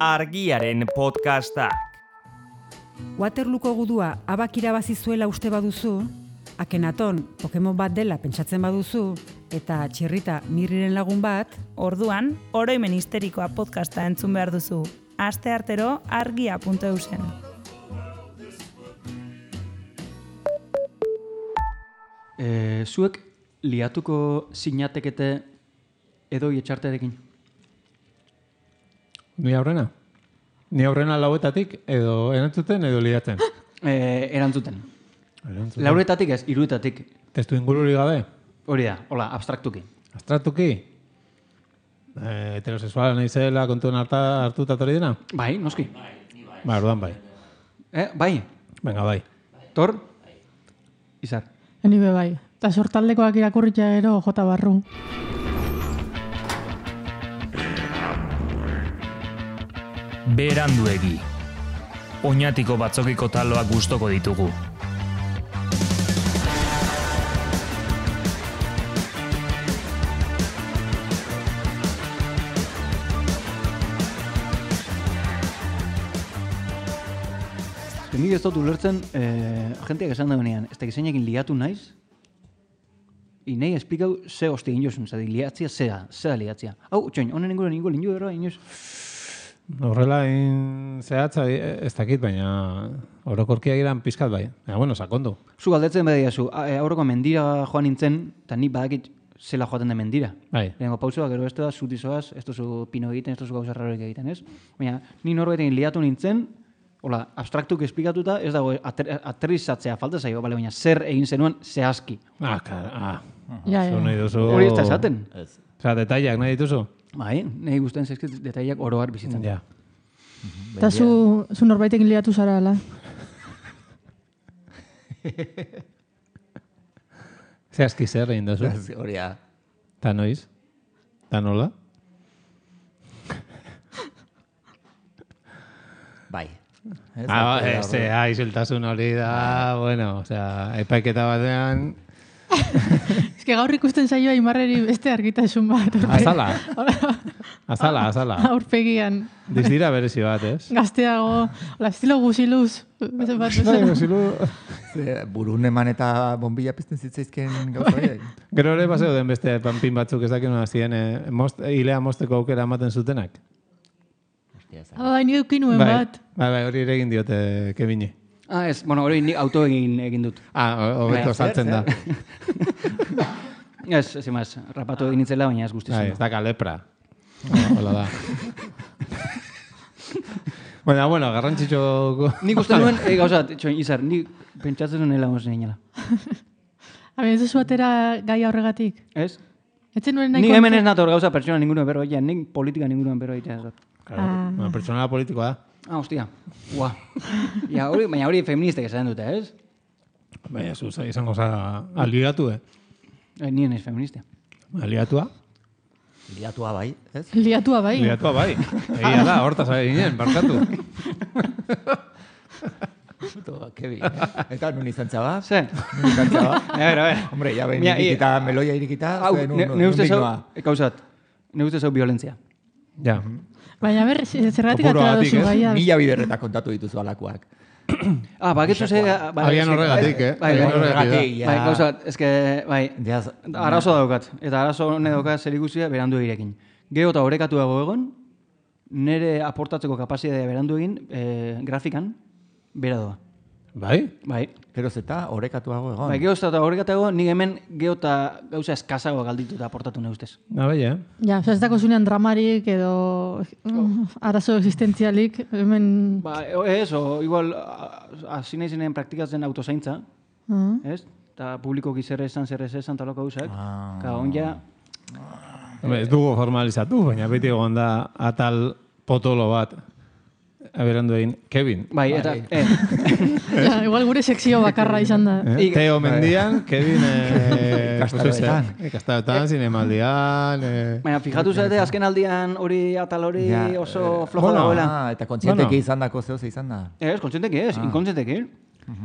Argiaren podcastak. Waterlooko gudua abak irabazi zuela uste baduzu, Akenaton Pokemon bat dela pentsatzen baduzu, eta Txirrita Mirriren lagun bat, orduan, oroimen histerikoa podcasta entzun behar duzu. Asteartero argia.eusen. Zuek liatuko sinatekete edo etxarterekin? Ni aurrena? Ni aurrena lauetatik edo erantzuten edo liatzen? Erantzuten. Lauretatik ez, iruetatik. Testu ingururi gabe? Hori da, hola, abstraktuki. Abstraktuki? Heterosexuala naizela kontuen hartuta hori dena? Bai, noski. Ba, orduan bai. Bai? Venga, bai. Tor? Izar. Ni be bai. Ta sortaldekoak irakurritzea gero jota barru. Beranduegi. Oñatiko batzokiko taloak gustoko ditugu. Nik ez dut ulertzen, agenteak esan daunean, ez da gizainekin liatu naiz, inei esplikau ze hosti egin jozun, zadi liatzia zea liatzia. Hau, txoin, honen inguruan ingo lindu ero, inoz? Horrela zehatza ez dakit, baina orokorkia giran pizkat bai. Baina, bueno, sakondu. Zu galdetzen bada diazu, aurreko mendira joan nintzen, eta nik badakit zela joaten da mendira. Bai. Lehenko pausua, gero ez da, zutizoaz, ez duzu pino egiten, ez duzu gauza raroik egiten, ez? Baina, ni norbaitekin liatu nintzen, hola, abstraktuk esplikatuta, ez dago aterrizatzea falta zaio, bale, baina zer egin zenuen zehazki. Zu nahi duzu... Hori ez da esaten. Osa, detaileak nahi dituzu? Bai, nahi guztien zezkit detaileak oroar bizitzen. Ja. Eta zu norbaitekin liatu zara, ala? Zehazki zer egin duzu? Hori da. Ta noiz? Ta nola? Bai. Isiltasun hori da, bueno, osea, epaiketa batean... Ez que gaur ikusten zaioa Imarreri beste argitasun bat. Azala. Aurpegian. Dizdira berezi bat, ez? Gazteago, estilo guziluz. Burun eman eta bombilla pizten zitzaizken gauza horiek. Gero ere paseo den beste panpin batzuk ez dakien ziren hilea mosteko aukera ematen zutenak. Ni eukinuen bat. Bai, hori ere egin diote Kevini. Ez, bueno, hori nik auto egin dut. Hobeto saltzen da. Ez emaz, rapatu egin nintzela, baina ez guztizun. Ez daka lepra. Hola da. Bueno, garrantzitxo... Nik uste nuen, gauza, txoin, Izar, nik pentsatzen nuen hela gozen egin. Ez duzu atera gai horregatik? Ez? Nik hemen ez nator gauza pertsona ninguruan berro egitea, nik politika ninguruan berro egitea. Pertsonala politikoa da. Hostia. Baina hori feministek esan dute, ez? Baina, zuza, izango za aliatu, Nien ez feminista. Aliatua? Liatua bai, ez? Liatua bai. Egia da, hortaz ari ginen, barkatu. Kevin. Eta nun izan txaba? Ze? Nun izan txaba? A ver. Hombre, ya ben irikita, meloia irikita, ne uste zau violentzia. Ja. Baina ber, zergatik atera duzu gaia. Mila biderretak kontatu dituzu alakoak. Baketzu ze... Agian horregatik, Bai, gauza, eske, bai, arazo daukat. Eta arazo hone daukat zer ikusia berandu egirekin. Gero eta orekatu dago egon, nire aportatzeko kapazitatea berandu egin, grafikan, bera doa. Bai? Bai. Geroz eta orekatuago egon. Bai, geroz eta orekatuago, nik hemen gero eta gauza eskazago galditu eta aportatu neustez. Bai, Ja, ez dako zunean dramarik edo arazo existentzialik, hemen... Ba, ez, igual, hasi nahi zinen praktikatzen autozaintza, ez? Eta publikoki zer esan, taloko gauzak. Ka, onja... Ez dugu formalizatu, baina beti egon da atal potolo bat. Berandu egin, Kevin. Bai, eta... Igual gure sekzio bakarra izan da. Teo mendian, Kevin... Ikastaroetan. Zinemaldian... Baina, fijatu zate, azken aldian hori atal hori oso flojo dagoela. Eta kontzienteki izan dako zehose izan da. Ez, kontzienteki ez, inkontzienteki.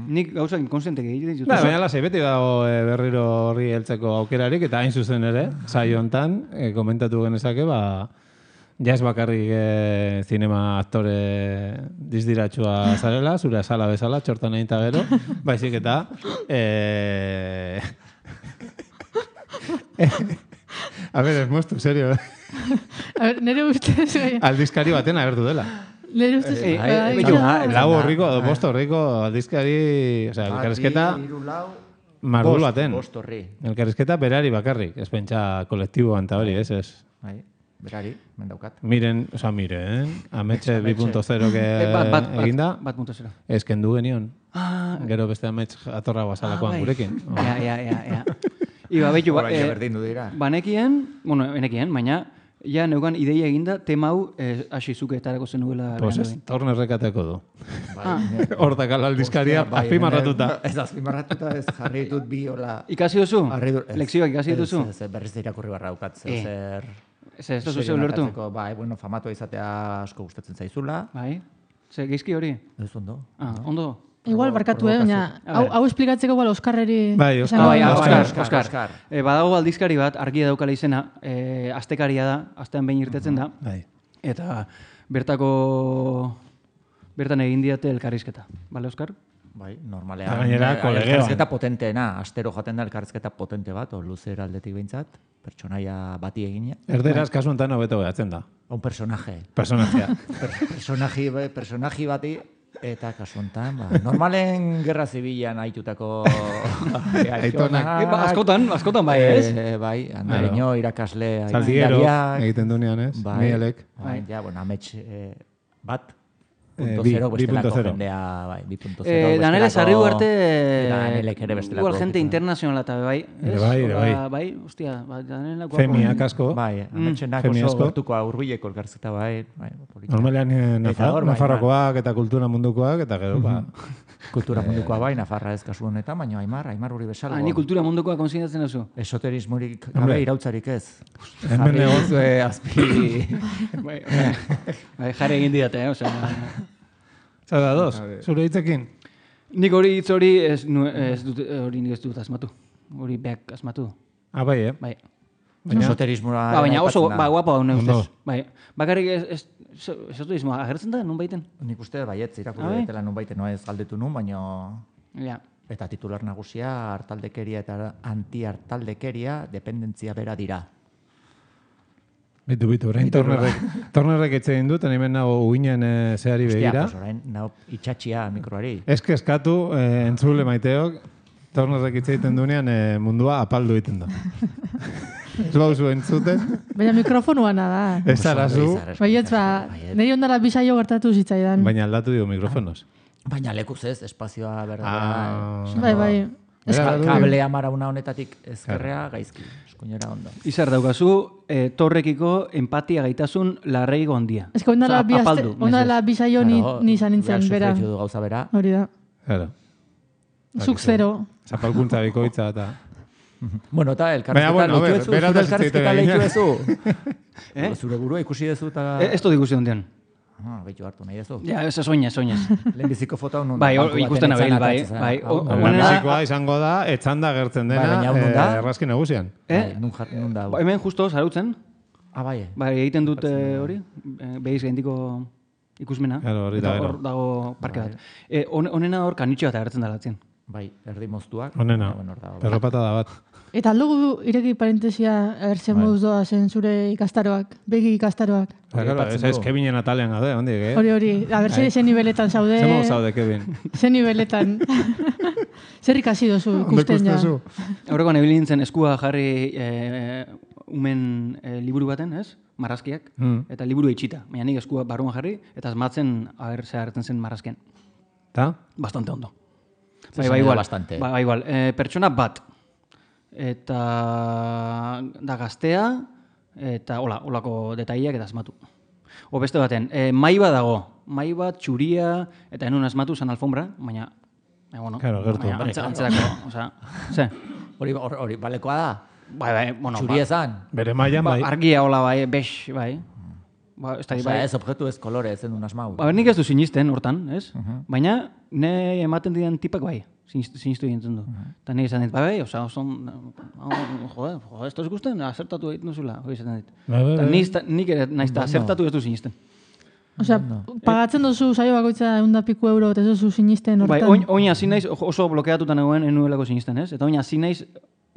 Nik gauzak inkonsientek egiten ditut. Baina lasai beti dago berriro horri heltzeko aukerarik, eta hain zuzen ere, saio hontan komentatu genezake, Ja ez bakarrik zinema aktore dizdiratxua zarela, zure sala bezala, txortan egin gero, baizik eta... A ver, ez moztu, serio. A ver, nire ustez... Aldizkari baten agertu dela. Nire ustez... Lau horriko, bost horriko aldizkari... Osea, elkarrizketa... Mardul baten. Elkarrizketa berari bakarrik. Ez pentsa kolektiboan eta hori, ez? Berari, mendaukat. Miren, Ametxe 2.0 eginda. 2.0. Ez kendu genion. Gero beste Amets atorra guazalakoan gurekin. Ja. Iba, behitu, banekien, baina, ja neukan ideia eginda, tema hau hasi zuketarako zenuela. Pues ez, torne errekateko du. Hortak aldizkaria, azpimarratuta. Ez azpimarratuta, ez jarri ditut bi hola... Ikasi duzu? Lekzioak ikasi dituzu? Ez, berriz irakurri barra daukat, zer... Ez duzu zeu lertu? Bai, famatua izatea asko gustatzen zaizula. Bai, ze geizki hori? Ez ondo. Ondo? Igual, barkatu, baina hau esplikatzeko igual Oskarreri... Bai, Oscar. Badago aldizkari bat, argia daukala izena, astekaria da, astean behin irtetzen da, eta bertan egin diate elkarrizketa. Bale, Oskar? Bai, normalean. Elkarrizketa potenteena, astero jaten da elkarrizketa potente bat, o luzera aldetik behintzat, pertsonaia bati egina. Erderaz kasu enten hobeto behatzen da. Un personaje. Personajea. Personaji bati... Eta kasu honetan, normalen gerra zibilan haitutako aitonak. Askotan bai, ez? Bai, andereño, irakasle... Zaldiguero, egiten dunean, ez? Mielek. Bai, amets bat, 2.0 bestelako jendea, bai, 2.0. Danele sarri arte... Danelek ere bestelako. Igual gente internacionala eta bai, ez? Bai, hostia, Danelak... Femiak asko. Bai, ametxenak oso gertuko aurbileko elkarrizketa, bai. Normalean Nafarrokoak eta kultura mundukoak, eta gero, Kultura mundukoa bai, Nafarra ez kasu honetan, baina Aimar hori bezala. Ni kultura mundukoa konsignatzen duzu? Esoterismorik gabe irautzarik ez. Hemen negozue azpi... Jarri egin didate, Zara, dos, zure hitzekin? Nik hori hitz hori ez dut asmatu. Hori beak asmatu. Bai, Bai. Esoterismoa... Baina oso guapa hau neustez. Bakarrik esoterismoa agertzen da, nun baiten? Nik uste baietz, irakurri daitela nun baiten, ez galdetu nun, baina... Eta titular nagusia, hartaldekeria eta anti-hartaldekeria, dependentzia bera dira. Bitu, orain tornerrek etxegin dut, hemen nago uinen zehari begira. Hostia, orain nago itxatxia mikroari. Ez kezkatu, entzule maiteok, tornerrek etxegiten duenean mundua apaldu egiten da. Ez bauzu entzuten. Baina mikrofonuana da. Ez arazu. Baietz, niri ondara bisaio gertatu zitzaidan. Baina aldatu dio mikrofonos. Baina lekuz ez, espazioa berda. Bai. Kablea marauna honetatik ezkerrea gaizki. Eskuinera ondo. Izar daukazu, torrekiko empatia gaitasun larreigo handia. Ez que ondala bisaio ni izan nintzen, bera. Gauza bera. Hori da. Claro. Zuk zero. Zapalkuntza bikoitza eta... Bueno, eta elkarrizketa lehitu ezu. Zure burua ikusi dezu eta... Ez dut ikusi ondean. Behitu hartu nahi dezu. Ja, ez soñez. Lehenbiziko foto hau bai, ikusten abil, bai. Lehenbizikoa izango da, etxanda gertzen dena, errazki nagusian. Nun da? Hemen justo, zarautzen. Bai. Bai, egiten dut hori, behiz gaindiko ikusmena. Hor dago parke bat. Honena hor kanitxo bat agertzen dalatzen. Bai, erdi moztuak. Honena, perropata da bat. Eta aldugu ireki parentesia erzen moduz doa zen zure ikastaroak, begi ikastaroak. Ez Kevinen atalean gade, hondik, Hori, a ber, ze niveletan zaude. Zer modu zaude, Kevin? Ze niveletan. Zer ikasi dozu ikusten ja. Horreko nebili nintzen eskua jarri umen liburu baten, ez? Marrazkiak. Eta liburu itxita. Baina nik eskua barruan jarri, eta asmatzen ze agertzen zen marrazken. Ta? Bastante ondo. Bai, igual. Pertsona bat. Eta da gaztea, eta holako detaileak eta asmatu. O beste baten, mai bat dago. Mai bat, txuria, eta enun asmatu zan alfombra, baina, gertu. Antzerako, ze? Hori balekoa da? Bai, txuria zan? Bere maian, bai. Argia hola, bai, bex, bai. Ez objektu ez kolore, ez duen asmau. Nik ez du sinisten hortan, ez? Baina, ne ematen diren tipak bai, sinistu egiten du. Eta nik esan dit, bai, oza, ez da ikusten, asertatu egiten duzula, hori esaten dit. Nik ere nahiz eta asertatu ez du sinisten. Osea, pagatzen duzu saio bakoitza 100 euro, eta ez duzu sinisten hortan. Bai, oin hasi naiz, oso blokeatuta nagoen enuelako sinisten, ez? Eta oin hasi naiz,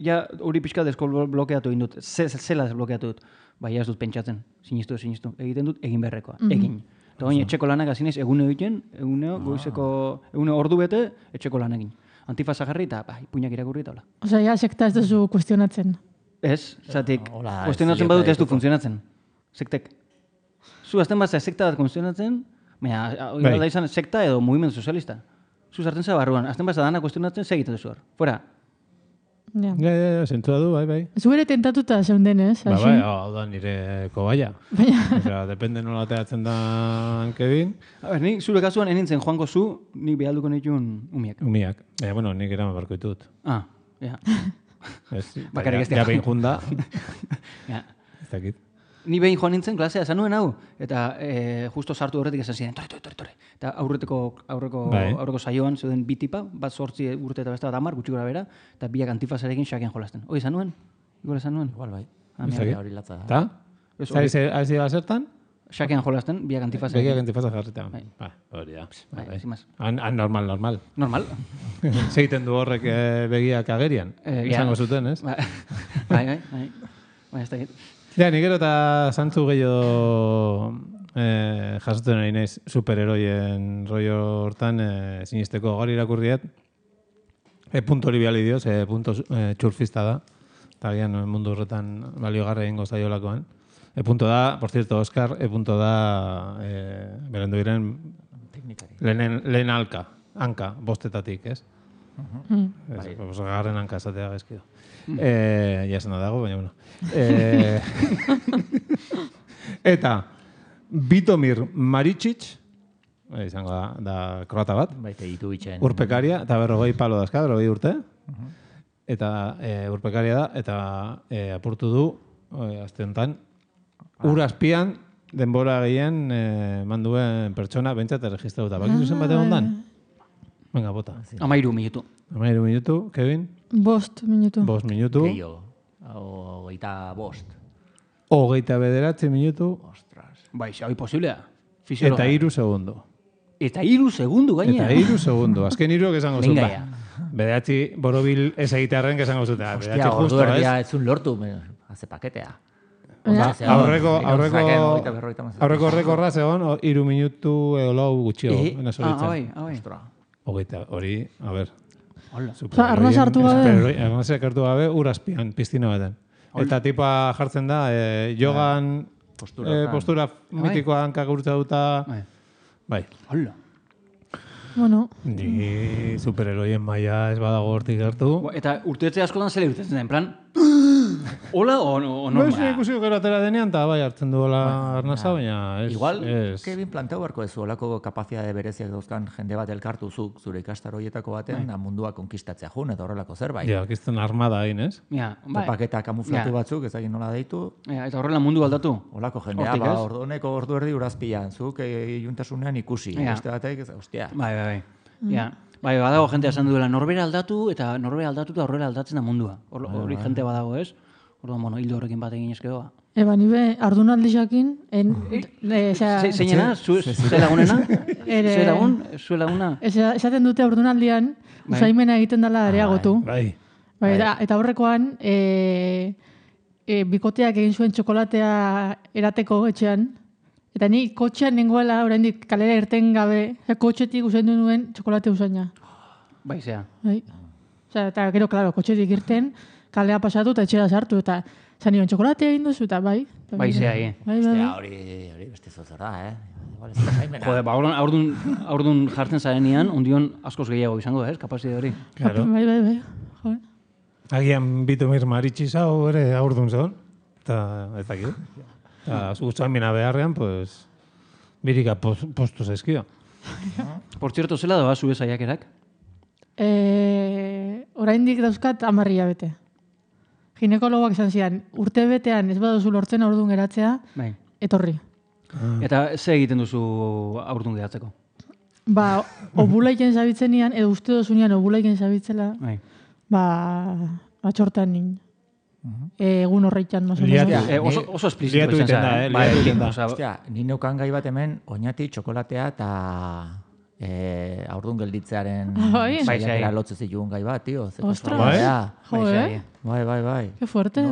ja hori pixka blokeatu egin dut, zela blokeatu dut. Bai, ez dut pentsatzen, sinistu, egiten dut egin beharrekoa, egin. Eta oin etxeko lanak hasi naiz eguneo egiten, eguneo goizeko, eguneo ordu bete, etxeko lan egin. Antifasa jarri eta puinak irakurri eta hola. Osea, ja, sekta ez duzu kuestionatzen. Ez, zatik, kuestionatzen badut ez du funtzionatzen. Sektek. Zu azten bat sekta bat funtzionatzen, baina da izan sekta edo mugimendu sozialista. Zu sartzen za barruan, azten bat dana kuestionatzen, segiten duzu hor. Fuera. Ja, zentua du, bai. Zu ere tentatuta zeuden, ez? Bai, hau da nire kobaia. Osea, depende nola teatzen da Kevin. A ber, nik zure kasuan enintzen joango zu, nik behalduko nituen umiak. Umiak. Bueno, nik eraman barko ditut. Ja. Bakarrik ez dira. Ja, behin junda. Ez dakit. Ni behin joan nintzen klasea, esan nuen hau, eta justo sartu horretik esan ziren, torre. Eta aurreko saioan zeuden bi tipa, bat 8 urte eta beste bat 10, gutxi gora bera, eta biak antifasarekin xakean jolasten. Hoi, esan nuen? Igual bai. Hori latza da. Ta? Ari zertan? Xakean jolasten, biak antifasa. Biak antifasa jarrita. Hori da. Normal. Normal. Zeiten du horrek begiak agerian. Izango zuten, ez? Bai, ez dakit. Ja, nik gero eta zantzu gehiago jasotzen ari naiz superheroien rollo hortan sinisteko gaur irakurriet. Punto hori biali dioz, punto txurfista da. Eta gian mundu horretan baliogarra egingo zaiolakoan. Punto da, por cierto, Oscar, punto da berendu diren lehen hanka, bostetatik, ez? Garren hanka esatea gezkido. Ja esan dago, baina bueno. Eta Bitomir Maričić, izango da kroata bat, urpekaria, eta 40 palo dazka, 40 urte, eta urpekaria da, eta apurtu du, azte honetan, urazpian denbora gehien manduen pertsona bentsat erregistrauta. Bakizu zen bat egon dan? Venga, bota. 13 minutu. 13 minutu, Kevin? 5 minutu. 5 minutu. Gehiago. 25. 29 minutu. Ostras. Bai, hau posiblea. Eta 3 segundu. Eta 3 segundu gaina. Eta 3 segundu. Azken 3 esango zuten. Bederatzi borobil ez egitearen esango zuten. Hostia, ordu erdia etzun lortu. Haze paketea. Aurreko horra zegoen 3 minutu lau gutxio. Hori, a ber. Arnaz hartu gabe. Arnazak hartu gabe urazpian, piztina baten. Eta tipa jartzen da, jogan postura mitikoa hankak urtza duta. Bai. Hola. Bueno. Ni superheroien maia ez badago hortik hartu. Eta urteetze askotan zele urtetzen da, en plan... Hola o normal? Ez ikusiko gero atera denean, eta bai hartzen duela arnaza, baina ez... Igual, Kevin planteu barko ez olako kapazitate bereziak dauzkan jende bat elkartu zure ikastaro horietako baten, mundua konkistatzea jun, eta horrelako zerbait. Ja, kizten armada hain, ez? Paketa kamuflatu batzuk, ez egin nola deitu. Eta horrela mundu aldatu? Olako jendea, honeko ordu erdi urazpian, zuk iuntasunean ikusi. Beste batek, ostia. Bai. Bai, badago jente esan duela, norbera aldatu eta horrela aldatzen da mundua. Hori jente badago, ez? Orduan, hildo horrekin bat egin eskedoa. Eba, nibe, ardunaldizakin... Zeinena? Zue lagunena? Zue laguna? Esaten dute ardunaldian, usaimena egiten dela areagotu. Eta horrekoan, bikoteak egin zuen txokolatea erateko etxean, eta ni kotxean nengoela, oraindik kalera irten gabe, kotxetik usaindu nuen txokolate usaina. Bai, zea. Eta gero, klaro, kotxetik irten, kalea pasatu eta etxera sartu, eta zan nion txokolatea egin duzu, eta bai. Bai, zea, hori beste zozor da, Jode, aurdun jartzen zarenean, ondion askoz gehiago izango da, kapazide hori. Bai. Agian Bitomir Maričić hau ere aurdun zegoen, eta ez dakit. Eta zuzaimena beharrean, pues, birika postu zaizkio. Por cierto, zela doa zure saiakerak? Oraindik dauzkat 10 hilabete. Ginekologoak esan zidan, urte betean ez baduzu lortzen orduan geratzea, etorri. Eta ze egiten duzu aurdun gehatzeko? Ba, obulaiken zabitzenean, edo uste dozunean obulaiken zabitzela, txortan nin. Egun horreitan, no oso esplizito izan zen. Ostia, ni neukan gai bat hemen, oinati, txokolatea eta aurdun gelditzearen saiakera lotzen zituen gai bat, tio. Ostras, Bai. Qué fuerte.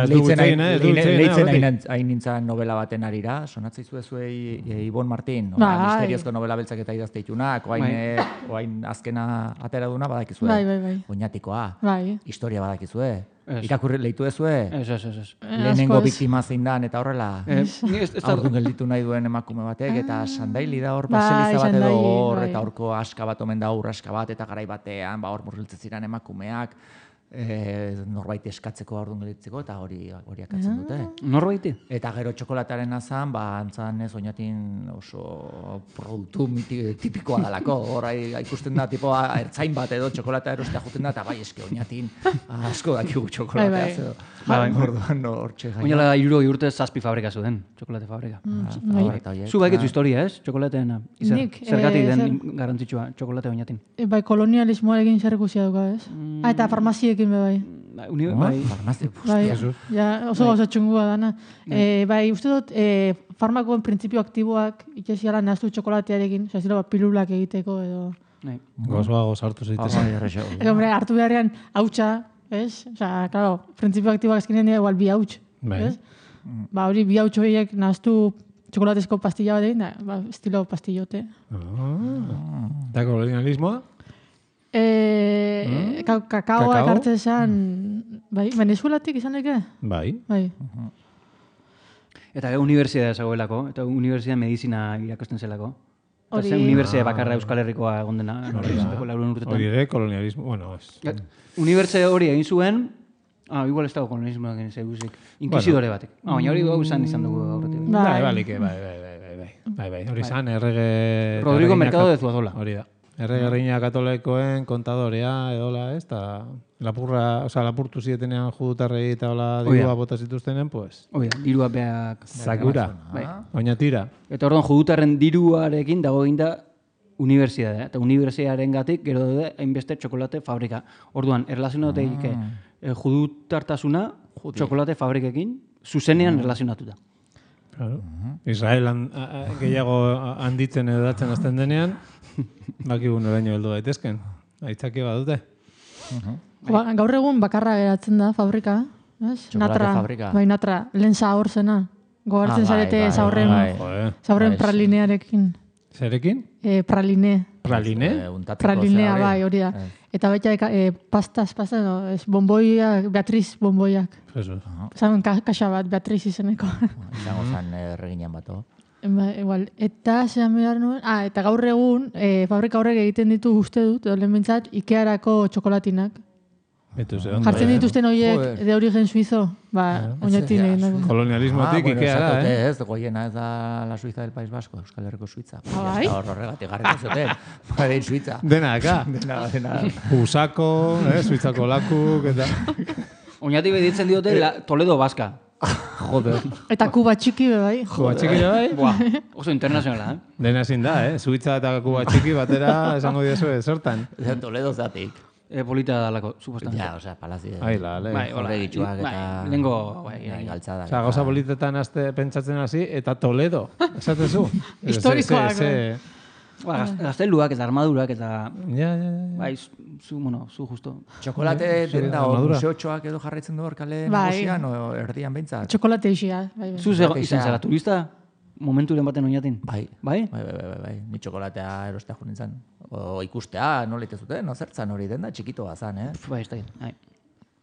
Leitzen hain nintzen novela baten arira, sonatzei zuei Ibon Martin, misteriozko novela beltzak eta idazte ditunak, oain azkena atera duna badakizue. Oinatikoa. Historia badakizue. Irakurri leitu ezue? Ez. Lehenengo biktima zein dan, eta horrela. Aurdun gelditu nahi duen emakume batek, eta sandaili da hor, baseliza bat edo hor, eta horko aska bat omen da aska bat, eta garai batean, hor murgiltzen ziren emakumeak, norbait eskatzeko aurdun gelditzeko, eta hori akatzen dute. Norbaiti? Eta gero txokolatearen azan, antzan ez oinatin oso produktu tipikoa dalako. Hor ikusten da, ertzain bat edo txokolatea erostea juten da, eta bai eske oinatin asko dakigu txokolatea. Orduan hortxe gaina. Oinala 60 urte 7 fabrika zuen, txokolate fabrika. Zu baiketzu historia, ez? Txokolateena. Zergatik den garrantzitsua txokolate oinatin. Bai, kolonialismoarekin zerrekusia duka, ez? Eta farmaziekin bai. Oso gauza txungua dana. Bai, uste dut, farmakoen printzipio aktiboak ikesiala nahaztu txokolatearekin, zira pilulak egiteko edo... Gozoago sartu zeitezen. Hombre, hartu beharrean hautsa, ez? Osa, claro, printzipio aktiboak eskenean dira igual bi hauts, ez? Ba, hori bi hauts horiek nahaztu txokolatezko pastilla bat egin, estilo pastillote. Eta kolonialismoa? Kakaoa ekartzen esan, bai, Venezuelatik izan eke? Bai. Eta unibertsitatea zagoelako, eta unibertsitatea medizina irakosten zelako. Eta zen unibertsitate bakarra Euskal Herrikoa egon dena. Hori ere, kolonialismo, bueno, ez. Unibertsitate hori egin zuen, igual ez dago kolonialismo egin zeguzik, inquisidore batek. Baina hori gau izan dugu aurretik. Bai, hori izan, errege... Rodrigo Mercado de Zuazola. Hori da. Erregerriña katolikoen kontadorea edola, ez? Eta lapurtu zietenean judutarrei eta dirua bota zituztenen, pues... Dirua beak... Zakura, oinatira. Eta orduan judutarren diruarekin dago eginda unibertsitatea. Eta unibertsitatearen gatik gero daude hainbeste txokolate fabrika. Orduan, erlazionateik judutartasuna txokolate fabrikekin zuzenean erlazionatuta. Israel gehiago handitzen edo datzen azten denean, bakigun oraino heldu daitezken. Aitzaki badute. Gaur egun bakarra geratzen da fabrika. Txokolate fabrika. Bai, Natra, lehen horrezena. Gogartzen zarete zaurren pralinearekin. Zerekin? Praline. Praline? Pralinea, bai, hori da. Eta baita pasta, bomboiak, Beatriz bomboiak. Zamen kaxa bat, Beatriz izeneko. Izango zan erreginan bato. Igual, eta zean behar nuen, eta gaur egun, fabrika horrek egiten ditu uste dut, edo lehen bintzat, Ikearako txokolatinak. Jartzen dituzten horiek de origen suizo, oinatin egin dago. Kolonialismotik Ikeara, Ez, goiena ez da la Suiza del País Vasco, Euskal Herriko Suiza. Horregatik garriko zuten, badein Suiza. Denaka. Usako, Suizako lakuk, eta... Oinatik beditzen diote Toledo Baska. Joder. Eta Kuba txiki bai. Kuba txiki bai? Oso internazionala, Dena ezin da, Suiza eta Kuba txiki batera esango diazu zertan. Toledo zatik. Polita dalako, supuestamente. Ja, osea, palazio. Horregitxuak eta... Lengo... galtzada. Osea, gauza politetan pentsatzen hasi, eta Toledo, esatezu. Historikoak. Gazteluak eta armadurak eta... Ja. Bai, zu justo. Txokolate denda museotxoak edo jarraitzen du hor kale nagusian, o erdian behintzat? Txokolate isia. Zu izan zara turista? Momenturen baten oinatin? Bai. Ni txokolatea erostea jo nintzen. O ikustea, nola itezuten, zertzan hori denda, txikitoa zan, Bai, ez da.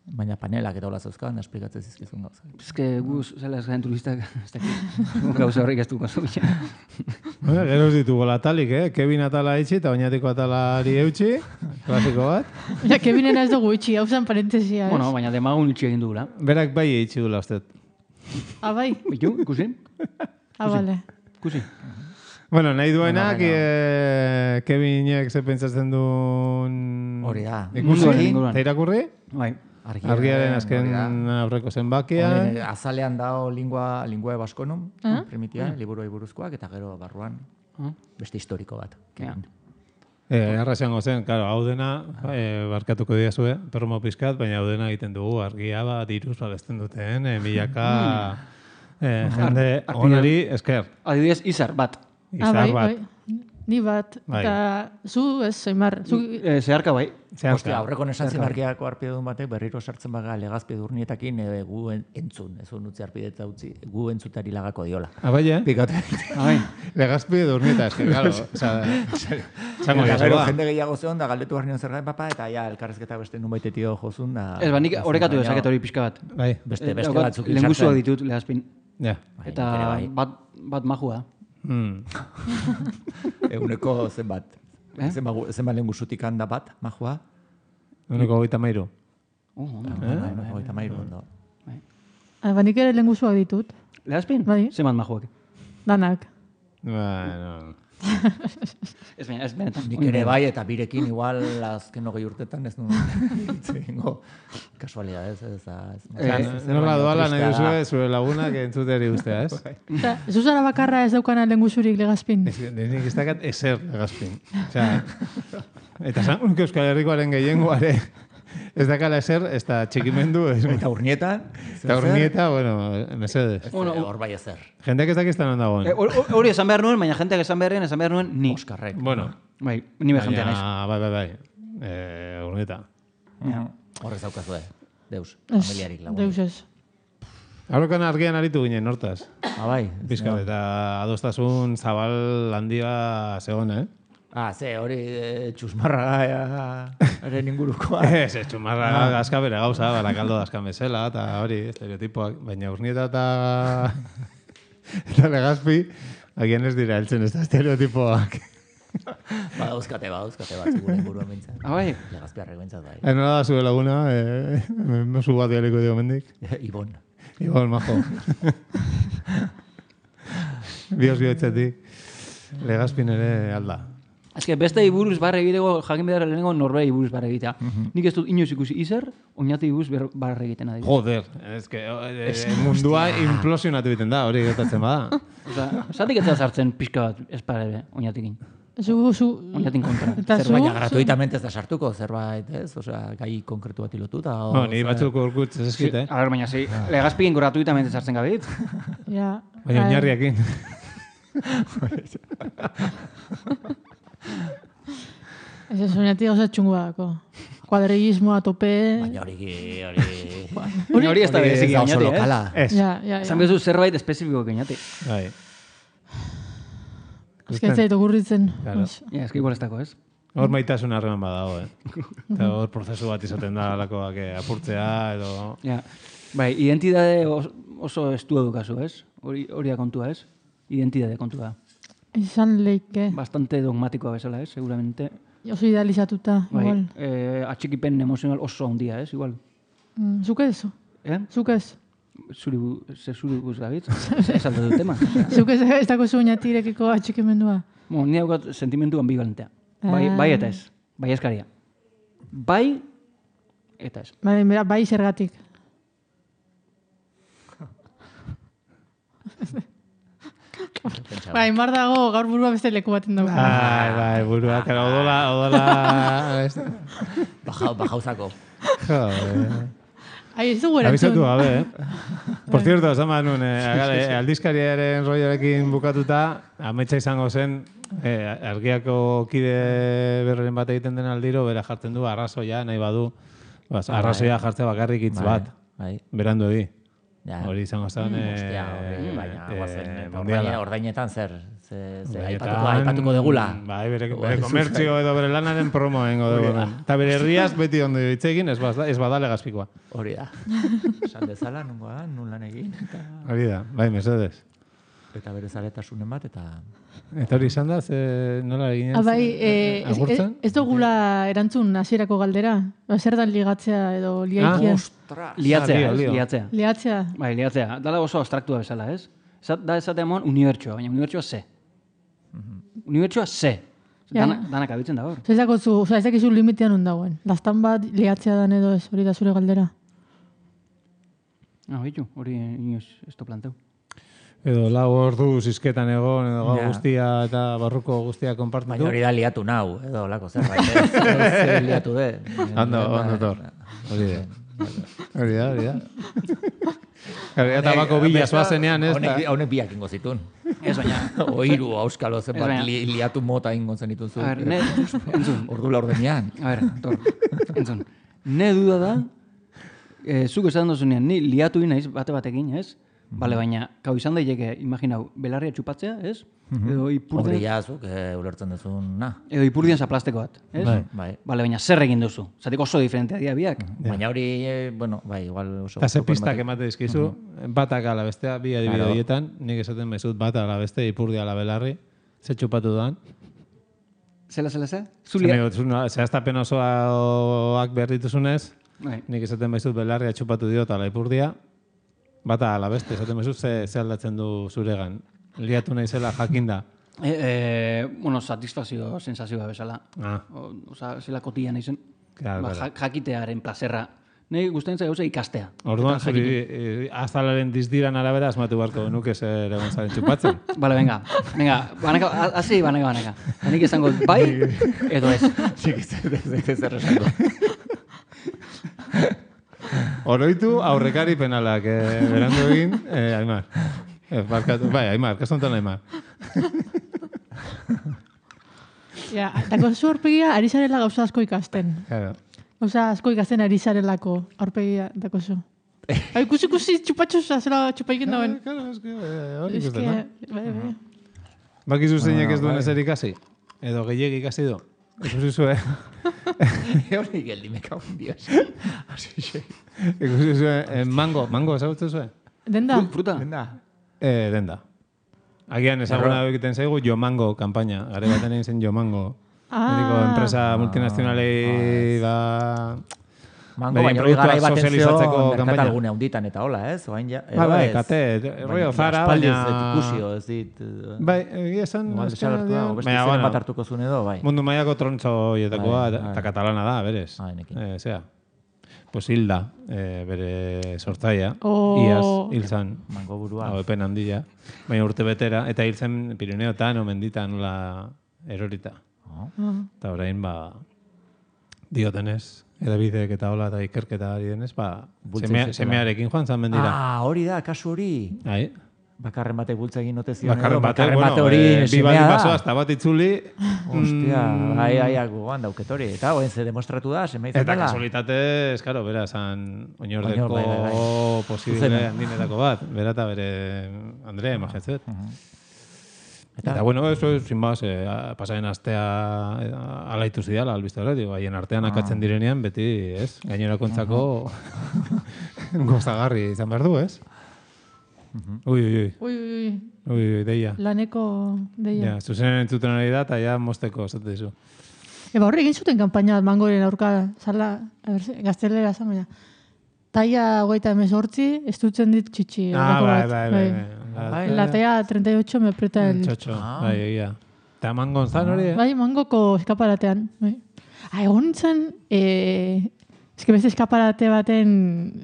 Baina panelak eta hola zauzkan, esplikatzen zizkizun gauza. Eske guz, zela ez garen turistak, ez da gauza horrik ez duko zautzen. Gero ez ditugu latalik, Kevin atala itxi eta oinatiko atalari eutxi, klasiko bat. Ja, Kevinen ez dugu itxi, hau zen parentesia, Bueno, baina demagun itxi egin dugula. Berak bai itxi dula, usted. Bai? Bitu, ikusi? Bale. Ikusi. Bueno, nahi duenak, Kevinek ze pentsatzen duen... Hori da. Ikusi, eta irakurri? Bai. Argiaren azken aurreko zenbakian. Azalean dao lingua baskonum, primitia, liburuei buruzkoak, eta gero barruan beste historiko bat. Arraziango zen, claro, hau dena, barkatuko diazue, perromo pizkat, baina hau dena egiten dugu, argia bat, diruz babesten duten, milaka jende onari esker. Adibidez, izar bat. Izar bat. Ni bat, eta zu ez, Aimar. Zeharka bai. Ostia, aurreko nesantzen argiako arpidedun batek berriro sartzen baga legazpi durnietakin gu entzun, ez unutzi arpidetza utzi, gu entzutari lagako diola. Abai, Pikatu. Legazpi durnieta, eske, claro. Zango gero jende gehiago zeon da galdetu barnean zer gain papa, eta ja, elkarrezketa beste nunbaitetio jozun da... Ez, nik horrekatu dezaket hori pixka bat. Beste batzuk izartzen. Lengusua ditut, legazpin. Eta bat majua. Eguneko zenbat? Zenbat lengusutik handa bat, majua? Eguneko 33. Eguneko 33, ondo. Nik ere lengusuak ditut. Legazpin? Zenbat majuak? Danak. Bueno... Ez benetan. Nik ere bai, eta birekin igual azken 20 urtetan ez nuen kasualidad, ez. Nola doala nahi duzue, zure lagunak entzuteri ustea, ez? Ez uzara bakarra ez daukana lengusurik legazpin. Nik ez dakat ezer legazpin. Eta zangun Euskal Herrikoaren gehiengoare ez dakala ezer, ez da txikimendu. Eta urnietan? Eta urnieta, bueno, mesedez. Hor bai ezer. Jendeak ez dakiztan ondagoen. Hori esan behar nuen, baina jenteak esan behar nuen ni. Oskarrek. Bueno. Bai, ni behar jentean ez. Bai. Urnieta. Horrez daukazue. Deus, familiarik lagun. Deus ez. Aurrokan argian aritu ginen, hortaz. Bai. Bizkat, eta adostasun zabal handia zegoen, hori txusmarra eren ingurukoa. Ez, txusmarra gazka bere gauza, barakaldo dazkan bezala, eta hori, estereotipoak, baina urnieta eta legazpi, agian ez dira heltzen ez da estereotipoak. Badauzkate bat, zugure inguruan bintzat. Bai. Legazpiarrek bintzat bai. Nola da zure laguna, mesu bat dialiko dio mendik. Ibon, majo. Biotzetik, legazpin ere alda. Ez que beste iburuz barra egiteko, jakin behar lehenengo norbera iburuz barra egitea. Nik ez dut inoiz ikusi izar, oinati iburuz barra egiten adibidez. Joder, ez que mundua implosionatu egiten da, hori gertatzen bada. Zatik ez da sartzen pixka bat espare oinatikin. Oinatin kontra. Baina gratuitamente ez da sartuko, zerbait, ez? Osea, gai konkretu bat ilotuta. Ni batzuk urkutz ez eskit, A ver, baina zi, legazpikin gratuitamente sartzen gabit. Ja. Baina oinarriakin. Ez oinatik gauza txungua dako. Kuadrillismoa tope. Baina hori ez da berezik oinati, ez? Ja. Zan bezu zerbait espezifiko oinati. Bai. Ez que ez zaitu gurritzen. Ez que igual ez dako, ez? Hor maitasun harreman badago, Eta hor prozesu bat izaten da alakoak apurtzea edo... Bai, identidade oso estu edukazu, ez? Hori da kontua, ez? Identidade kontua. Izan leike. Bastante dogmatikoa bezala, ez? Seguramente. Oso idealizatuta, igual. Atxikipen emozional oso handia, ez? Igual. Zuk ez? Zuk ez? Zuri guz gabitz? Ez aldatu tema. Zuk ez dako zu oinatirekiko atxikimendua? Ni haukat sentimentu ambivalentea. Bai eta ez. Bai eskaria. Bai eta ez. Bai zergatik. Aimar dago gaur burua beste leku baten dago. Bai, burua, kara, odola... Bajauzako. Ez dugu erantzun. Abizatu gabe, Por cierto, esan behar nuen, aldizkariaren roiarekin bukatuta, ametsa izango zen, argiako kide berren bat egiten den aldiro, bera jartzen du arrazoia, nahi badu, arrazoia jartzea bakarrik hitz bat, berandu edi. Hori izango zen... Baina ordainetan zer aipatuko degula. Bai, bere komertzio edo bere lanaren promoengo dugu. Eta bere herriaz beti ondo ditzegin, ez bada legazpikoa. Hori da. Esan dezala, nungoa, nun lan egin. Hori da, bai, mesedez. Eta bere zaletasunen bat, eta... Eta hori izan da, nola egin agurtzen? Ez dugula erantzun hasierako galdera? Zer da ligatzea edo liaikia? Liatzea. Liatzea. Bai, liatzea. Dala oso abstraktua bezala, ez? Da esatea mon unibertsoa, baina unibertsoa ze. Unibertsoa ze. Danak abitzen da hor. Ez dakizu limitean ondagoen. Lastan bat liatzea dan edo ez, hori da zure galdera. Bitu, hori inoz ez to planteu. Edo lau ordu zizketan egon, edo gau guztia eta barruko guztia konpartitu. Baina hori da liatu nau, edo lako zerbait, ez liatu de. Ondo tor. Hori da. Eta bako bila zoazenean, ez da. Haunek biak ingo zitun. Ez baina. Oiru, auskalo, zenbat liatu mota ingo zen ituzu. Entzun. Ordu laurdenean. Tor, entzun. Ne duda da, zuk esan dozunean, ni liatu naiz batekin, ez? Bale, baina, kau izan daiteke, imaginau, belarria txupatzea, ez? Edo ipurdien... Hori jazuk, ulertzen duzun, na. Edo ipurdien zaplasteko bat, ez? Bai. Bale, baina zer egin duzu? Zatik oso diferentea dira biak. Baina hori, bai, igual oso... Eta ze pistak emate dizkizu, batak ala bestea, bi adibide horietan, nik esaten bezut bat ala beste, ipurdia ala belarri, ze txupatu doan. Zela? Zehaztapen osoak behar dituzunez, nik esaten bezut belarria txupatu diot ala ipurdia, bata ala beste, esaten bezut ze aldatzen du zuregan. Liatu nahi zela jakinda. Satisfazio sensazioa bezala. Zela kotia nahi zen. Jakitearen plazerra. Nahi guztain zai gauza ikastea. Orduan, zuri azalaren dizdiran arabera asmatu barko nuke zer egon zaren txupatzen. Bale, venga, hasi banaka. Hanik esango bai, edo ez. Ez esango. Oroitu aurrekari penalak, berandu egin, Aimar. Aimar, kastontan Aimar. Dako zu aurpegia ari zarela gauza asko ikasten. Gauza asko ikasten ari zarelako aurpegia dako zu. Ikusi txupatxosa, zela txupaiken dauen. Hori ikusten, no? Bakizu zeinek ez duen ezer ikasi? Edo gehiagi ikasi du? Ikusi zuen. Hori geldi me cago en Dios. Ikusi zuen, mango, ezagutzen zuen? Denda? Fruta? Denda. Agian ezaguna egiten zaigu Jomango kanpaina. Gare baten egin zen Jomango. Mediko enpresa multinazionalei Mango, baina hori garai baten zeo merkatalgune handitan eta hola, ez? Bai, kate, rollo Zara, baina... Ikusio, ez dit... Bai, esan... Beste zeren bat hartuko zuen edo, bai. Mundu mailako trontzo hietakoa, eta katalana da, berez. Zea. Pues hilda, bere sortzaia. Iaz, hil zan. Mango burua. Epen handia. Baina urte betera, eta hil zen Pirineotan, omenditan, nola erorita. Eta orain, diotenez, edabideek eta hola eta ikerketa ari denez, semearekin joan zan mendira. Hori da, kasu hori. Bakarren batek bultza egin note zion. Bakarren bate hori semea da. Hasta bat itzuli. Hostia, gogoan dauket hori. Eta hoen ze demostratu da, semea izatela. Eta kasualitatez, karo, bera, zan oinordeko posible handinetako bat. Bera eta bere Andrea, imagetzet. Eta, bueno, eso es, sin más, pasaren astea alaitu zidala, albizte hori, haien artean akatzen direnean, beti, ez? Gainerakontzako gozagarri izan behar du, ez? Ui, deia. Laneko deia. Zuzenen entzuten ari da, eta ja mosteko, zate dizu. Horre egin zuten kampaina mangoren aurka, zala, gaztelera zan, baina. Taia 38, ez dutzen dit txitsi. Bai. La talla 38 me aprieta el... Txotxo, bai, egia. Eta mangon zan hori, Bai, mangoko eskaparatean. Egon nintzen, beste eskaparate baten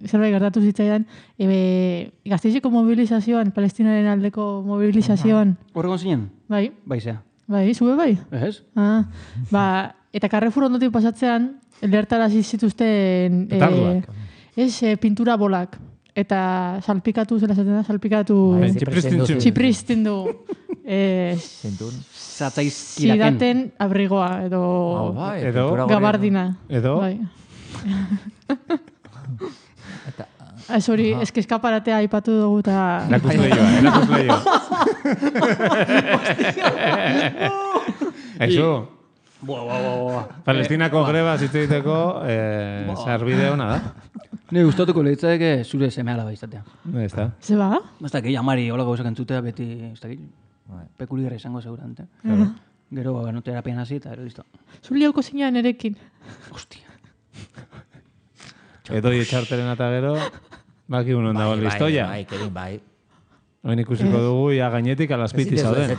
zerbait gertatu zitzaidan, Gasteizeko mobilizazioan, Palestinaren aldeko mobilizazioan. Horregon zinen? Bai. Baizea. Bai, zube bai? Ez? Eta Carrefour ondotik pasatzean, lehertarazi zituzten... Petarduak. Pintura bolak. Eta salpikatu, zela zaten da, salpikatu... Txipristindu. Zidaten abrigoa, edo gabardina. Edo? Ez hori, eskaparatea aipatu dugu eta... Erakusleioa. Eso. Palestinako greba zitzeiteko sarbide hona da. Ne gustatuko lehitzadeke zure semeala baizatea. Ez da. Ze ba? Ez da, amari hola gauzak entzutea beti, ez da, pekuligarra izango segurante. Gero no terapian hasi eta ero listo. Zuli hauko zinean erekin. Hostia. Edo etxarteren eta gero, baki unon dago listoia. Bai. Oin ikusiko dugu, ia gainetik alazpiti zauden.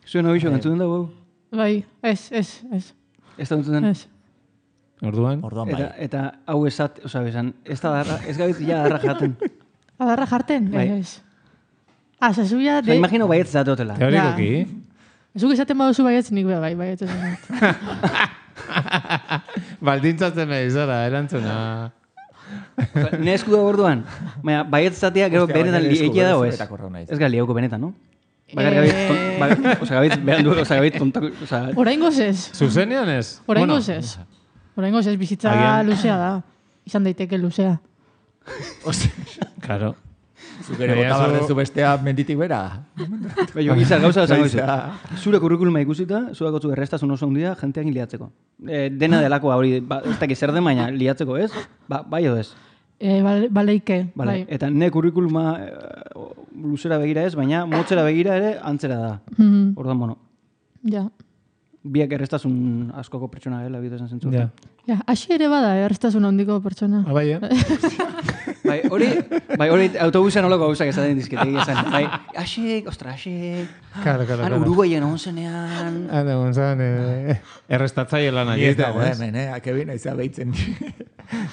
Zuen hobixo, entzuten dugu? Bai, ez. Ez da duten? Ez. Orduan bai. Eta hau esat, oza, besan, ez gabit ja adarra jaten. Adarra jarten? Bai. Ez. Zazuia... Imagino baietz zatotela. Teorikoki. Zuk esaten baduzu baietz, nik baietz esan. Baldintzatzen nahi zara, erantzuna. Ne esku da orduan. Baina, baietz zatea, gero benetan egia dago ez. Ez gali hauko benetan, no? Gabit behan du, gabit tontako... Oraingoz ez. Zuzenean ez? Oraingoz ez. Oraingoz ez, bizitza luzea da. Izan daiteke luzea. Claro. Zukere bota bardezu bestea menditik bera. Baina, izar gauza esango izu. Zure kurrikuluma ikusita, zuak otzu errestasun oso handia jenteak liatzeko. Dena delako hori, ez dakiz zer den, baina liatzeko ez? Bai edo ez? Baleike. Bai. Eta ne kurrikuluma luzera begira ez, baina motzera begira ere antzera da. Ordan, bueno. Ja. Biak errestasun askoko pertsona dela, bide esan zentzu. Ja, hasi ere bada, errestasun handiko pertsona. Bai, hori autobusean olako gauzak esaten dizketegi esan. Bai, asik, Claro. Uruguayen egon zenean. Egon zen, errestatzaile lan agitea, hemen, akebin aiza behitzen.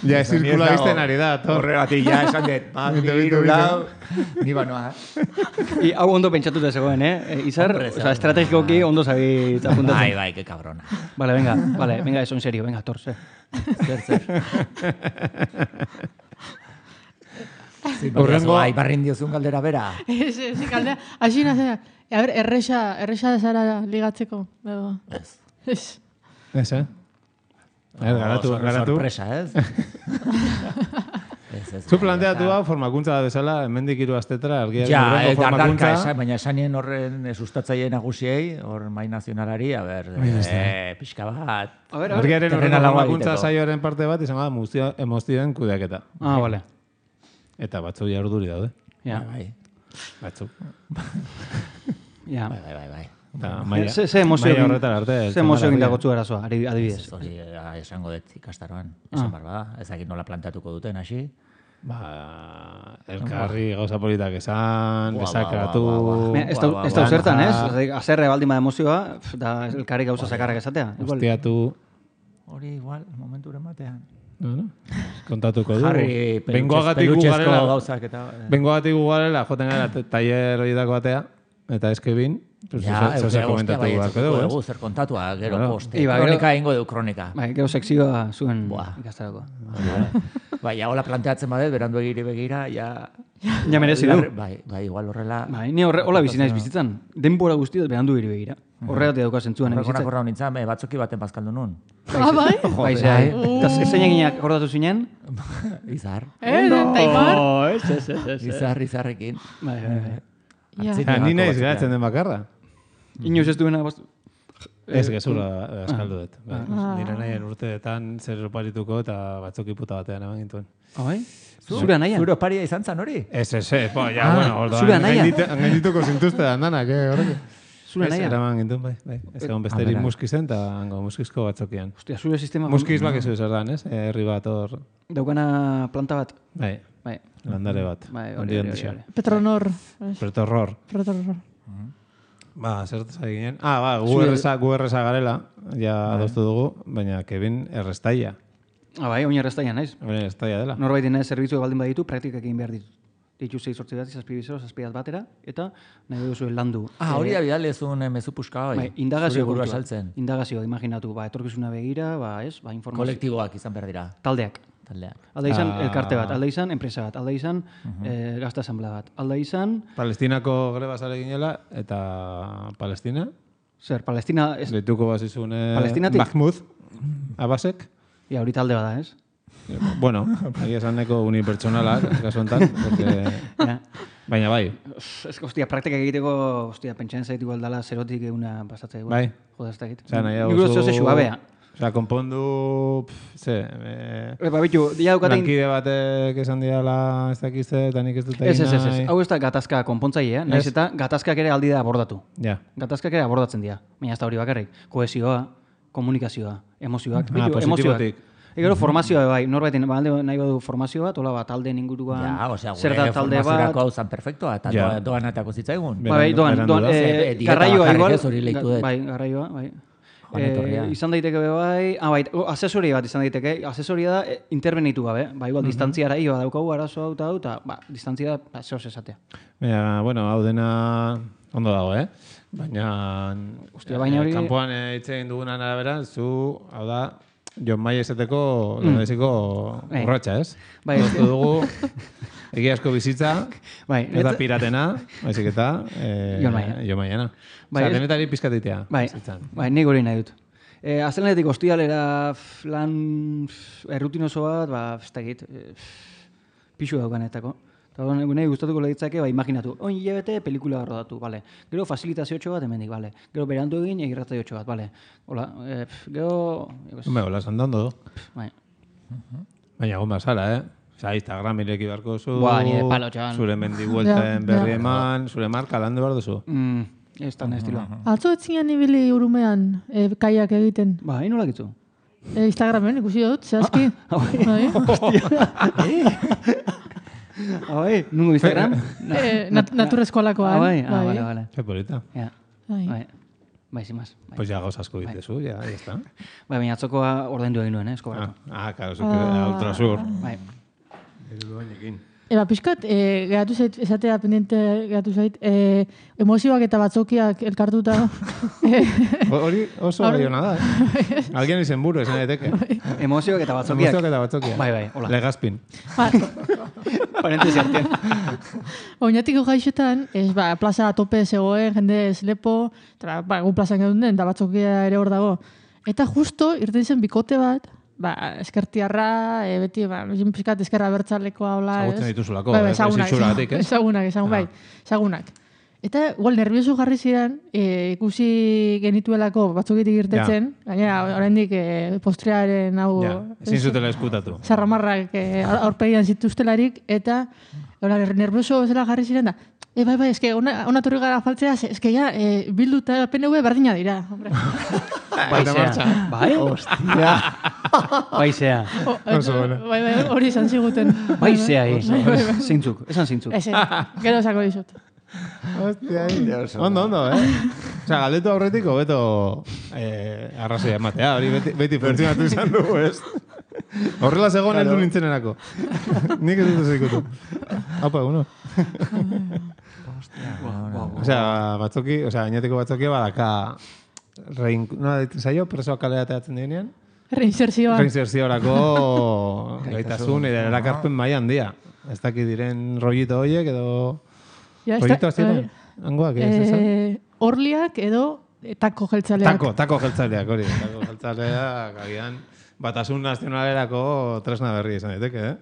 Ja, zirkula bizten ari da, horregatik, ja, esan dut, biru lau, ni banoa. Hau ondo pentsatuta zegoen, Izar, estrategikoki ondo zabitz apuntatzen. Bai, que cabrona. Vale, venga, eso en serio, venga, torse. Zer. Horrengo, aibarrin diozun galdera bera. Ez, galdera. Aixi nazera, a ver, erresa zara ligatzeko. Ez. Ez, garatu. Sorpresa, ez? Zu planteatu hau formakuntza da bezala, hemendik 3 astetra, argiaren formakuntza. Baina esanien horren sustatzaile nagusiei, hor mai nazionalari, a ber, pixka bat. Argiaren horren formakuntza saioaren parte bat, izan bada emozioen kudeaketa. Vale. Eta batzuk ja urduri daude. Ja. Batzuk. Ja. Bai. Ze emozio egin dagotzu arazoa, adibidez. Hori esango dut ikastaroan, esan barba, ezagik nola planteatuko duten, hasi. Elkarri gauza politak esan, desakratu... Ez da zertan, ez? Azerre baldin bada emozioa, da elkarri gauza sakarrak esatea. Hostiatu... Hori igual, momenturen batean. Kontatuko du. Jarri pelutxezko gauzak eta... Bengoagatik gugarela, joten gara taller horietako batea, eta eskebin, zer komentatu beharko dugu, zer kontatua, gero poste. Kronika ingo dugu, kronika. Gero sekzioa zuen ikastarako. Bai, hola planteatzen badet, berandu egiri begira, ja merezi du. Bai, igual horrela... Bai, ni hola bizinaiz bizitzan. Denbora guztiet berandu egiri begira. Horregatik dauka zentzuan bizitzan. Horrela nintzen, batzoki baten bazkaldu nun. Bai? Bai, zai. Eta zein eginak akordatu zinen? Izar. Taimar? Izarrekin. Bai. Ni naiz geratzen den bakarra. Inoz ez duena... Ez gezula askaldu dut. Nire nahien urteetan zer oparituko eta batzoki puta batean eman gintuen. Bai? Zure nahian? Zure oparia izan zan hori? Ez, bueno, orduan gaindituko zintuzte da andanak, horrek. Zure nahian? Ez, eraman gintuen, bai. Ez egon besterik muskizen eta hango muskizko batzokian. Hostia, zure sistema... Muskiz bakizu zer dan, ez? Herri bat hor... Daukana planta bat? Bai. Landare bat. Hori. Petronor. Petorror. Zertaz eginen. Gu erreza garela, ja adostu dugu, baina Kevin errestaia. Bai, oin errestaia naiz. Oin errestaia dela. Norbait dinez zerbitzu baldin baditu, praktikak egin behar ditu. Ditu 6-8 bat, 7 batera, eta nahi duzu landu. Hori da bidale zuen mezu puska hori. Indagazio burua saltzen. Indagazio, imaginatu, etorkizuna begira, informazio. Kolektiboak izan behar dira. Taldeak. Alda izan elkarte bat, alda izan enpresa bat, alda izan gazta asamblea bat, alda izan... Palestinako greba zare ginela, eta Palestina? Zer, Palestina... Leituko bazizun Mahmoud Abbasek? Ja, hori talde bada, ez? Bueno, ari esan neko unipertsonalak, kasu enten, baina bai. Hostia, praktika egiteko, pentsatzen zaitu aldala zerotik eguna pasatzea. Bai. Joda, ez da egit. Nik uste zeu babea. Osa, konpondu... Bitu, ja dukaten... Lankide batek esan diala ez dakizte, eta nik ez dut egin nahi. Ez. Hau ez da gatazka konpontzailea, nahiz eta gatazkak ere aldi da abordatu. Ja. Gatazkak ere abordatzen dira. Baina ez da hori bakarrik. Kohesioa, komunikazioa, emozioak. Positibotik. Gero formazioa bai, norbaitin nahi badu formazio bat, hola bat, talde inguruan, zer da talde bat. Formazioako hau zan perfektoa, eta doan atako zitzaigun. Bai, doan, garraioa igual. Bai, garraioa, bai. Izan daiteke bai, asesoria bat izan daiteke, asesoria da intervenitu gabe, igual distantziara daukagu arazo hau eta distantzia da zehoz esatea. Bueno, hau dena ondo dago, baina kanpoan hitz egin dugunan arabera, zu, hau da, Jon Mai esateko lendeziko urratxa, ez? Bai, ez dugu egiazko bizitza, ez da piratena, baizik eta Jon Maiena. Osa, denetari pizkatitea. Bai, nik hori nahi dut. Azelenetik hostialera lan errutinoso bat, ez da egit, pixu daukanetako. Eta nahi gustatuko lehitzake, imaginatu, hilabete pelikula rodatu, bale. Gero fasilitaziotxo bat hemendik, bale. Gero berandu egin egirratzaioetxo bat, bale. Hola, gero... Hola, sandondo. Baina gomba zara, Instagram ireki beharko zu, zure mendibuelten berri eman, zure marka landu behar duzu. Ez da estiloa. Atzo etzinean ibili Urumean kaiak egiten. Bai, nola gitzu? Instagramen ikusi dut, zehazki. Hostia. Nungo Instagram? Naturrezkoalakoan. Vale. Qué polita. Bai, sin más. Pues ya gauz asko ditezu, ya está. Bai, baina atzokoa ordaindu egin nuen, eskobratu. Claro, ultrasur. Bai. Piskat, geratu zait, esatea pendiente geratu zait, emozioak eta batzokiak elkartuta. Hori oso baiona da, Alguien izen buru, esan daiteke. Emozioak eta batzokiak. Bai, hola. Legazpin. Parentesi artean. Oinatiko gaixetan, plaza tope zegoen, jende lepo, gu plazan gedun den, eta batzokia ere hor dago. Eta justo, irten zen bikote bat, eskertiarra, beti, pizkat eskerra bertzalekoa hola, ez? Zagutzen dituzulako, zitxuratik, ez? Ezagunak. Eta, igual, nervioso jarri ziren, ikusi genituelako batzukitik irtetzen, gainera, oraindik postrearen hau... Ezin zutela eskutatu. Zarramarrak aurpegian zituztelarik, eta, nervioso zela jarri ziren da, bai, eske, ona torri gara faltzea, eske, Bildu eta PNV berdina dira, hombre. Bai? Hostia. Baizea. Bai, hori izan ziguten. Baizea, zeintzuk, esan zeintzuk. Gero esako dizut. Hostia, ondo, Osa, galdetu aurretiko, beto arrazoia ematea, hori beti pertsionatu izan dugu, ez? Horrela zegoen heldu nintzenerako. Nik ez dut zeikutu. Haupa, eguno. Osea, batzoki, gainatiko batzokia badaka zaio, presoak kalera teatzen direnean? Reinserziorako gaitasun, erakarpen maian handia. Ez dakit diren rollito horiek edo... Rollito aztietan? Angoak, ez ez? Orliak edo tako jeltzaleak. Tako jeltzaleak, hori. Tako jeltzaleak, agian... Batasun nazionalerako tresna berri izan daiteke,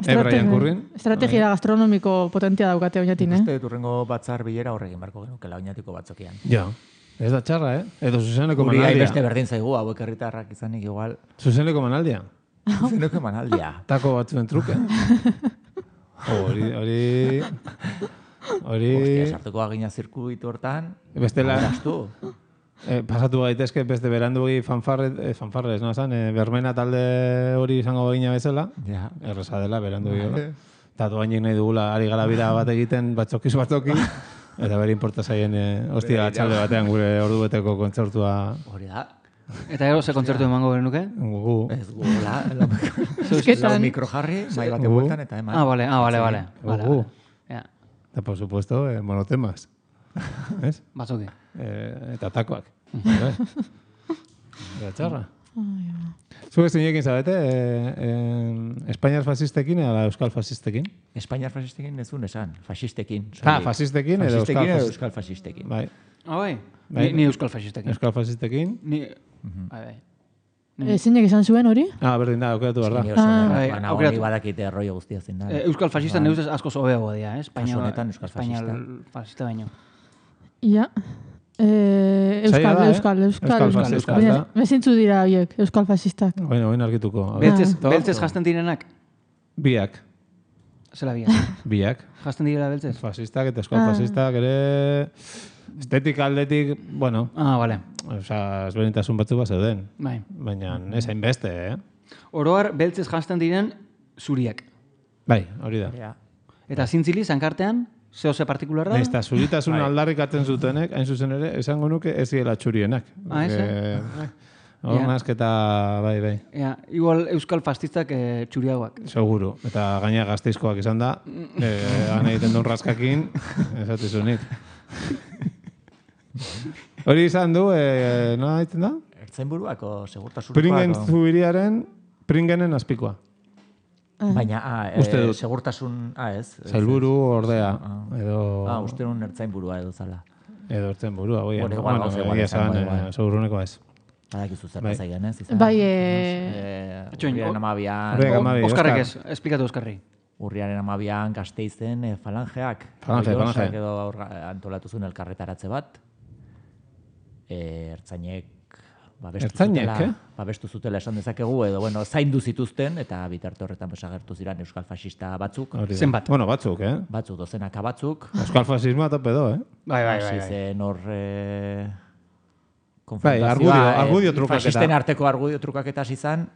Brian Currin. Estrategia gastronomiko potentia daukate oinatin, Uste turrengo batzar bilera horregin barko genukela oinatiko batzokian. Ja, ez da txarra, Edo zuzeneko manaldia. Uri beste berdin zaigu, hauek herritarrak izanik igual. Zuzeneko manaldia. Zuzeneko manaldia. Tako batzuen truke. Hori... Hostia, sartuko agina zirkuitu hortan. Bestela... Pasatu gaitezke beste berandugi fanfarrez, no esan, bermena talde hori izango begina bezala, erresa dela berandugi hola. Eta doainik nahi dugula, ari gara bira bat egiten batzoki, eta bere importa zaien hostia atxalde batean gure ordubeteko kontzertua. Hori da. Eta gero ze kontzertu emango genuke? Gu. Ez gu, la mikrojarri, mai bate bueltan eta eman. Vale. Gu. Eta por supuesto, monotemas. ¿Es? Batzoki. Eta takoak. Eta txarra. Zuek zinekin zabete, Espainiar fascistekin edo Euskal fascistekin? Espainiar fascistekin ez duen esan, fascistekin. Fascistekin edo Euskal fascistekin. Bai. Bai, ni Euskal fascistekin. Euskal fascistekin? Bai. Zeinek izan zuen hori? Berdin da, aukeratu behar da. Baina hori badakite rollo guztia zen da. Euskal fascista neuz asko zobeagoa dira, Kasu honetan Euskal fascista. Fascista baino. Ia. Euskal. Mezintzu dira horiek, Euskal fascistak. Bueno, argituko. Beltzez jasten direnak? Biak. Zela biak? Biak. Jasten direla beltzez? Fascistak eta Euskal fascistak ere... Estetik aldetik, bueno... Vale. Osa, ezberdintasun batzu bat zeuden. Bai. Baina ez hainbeste, Oroar, beltzez jasten diren zuriak. Bai, hori da. Eta zintzili, zankartean? Zehose partikularra? Eta zuritasun aldarrikatzen zutenek, hain zuzen ere, esango nuke ez ziela txurienak. Nazketa, bai. Igual euskal fastistak txuriagoak. Seguru. Eta gaina gazteizkoak izan da, gana egiten duen raskakin, esatezunik. Hori izan du, nola egiten da? Ertzainburuako, segurtasurukoako. Pringen zubiriaren, Pringenen azpikoa. Baina, segurtasun, ez. Zailburu, ordea. Uste nun ertzainburua edo zala. Edo ertzainburua, oi. Igual, segurunekoa ez. Badakizu zer bazaigan, ez? Bai, Urriaren amabian... Oskarrek ez, esplikatu Oskarri. Urriaren amabian Gasteizen falangeak. Falange. Edo antolatu zuen elkarretaratze bat. Ertzainek babestu zutela esan dezakegu, edo zaindu zituzten, eta bitarte horretan agertu ziren euskal fascista batzuk. Zenbat? Bueno, batzuk, Batzuk, dozenaka batzuk. Euskal fascismoa tope do, Bai. Zen hor... argudio trukaketa. Fasisten arteko argudio trukaketa izan,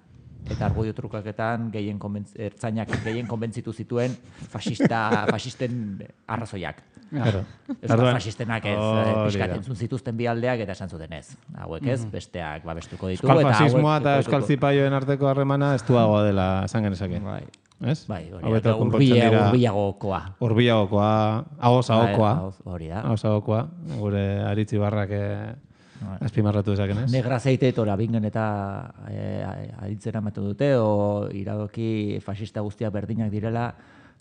eta argudio trukaketan ertzainak gehien konbentzitu zituen fasisten arrazoiak. Euskal fasistenak ez pixkat entzun zituzten bi aldeak eta esan zuten ez. Hauek ez, besteak babestuko ditu. Euskal fasismoa eta euskal zipaioen arteko harremana estuagoa dela esan genezake. Ez? Bai, hurbilagokoa. Hurbilagokoa, ahosagokoa. Hori da. Ahosagokoa, gure Aritzi Barrak azpimarratu dezaken, ez? Negra zeiteetora bingen eta aritzera ematen dute, o iradoki fasista guztiak berdinak direla,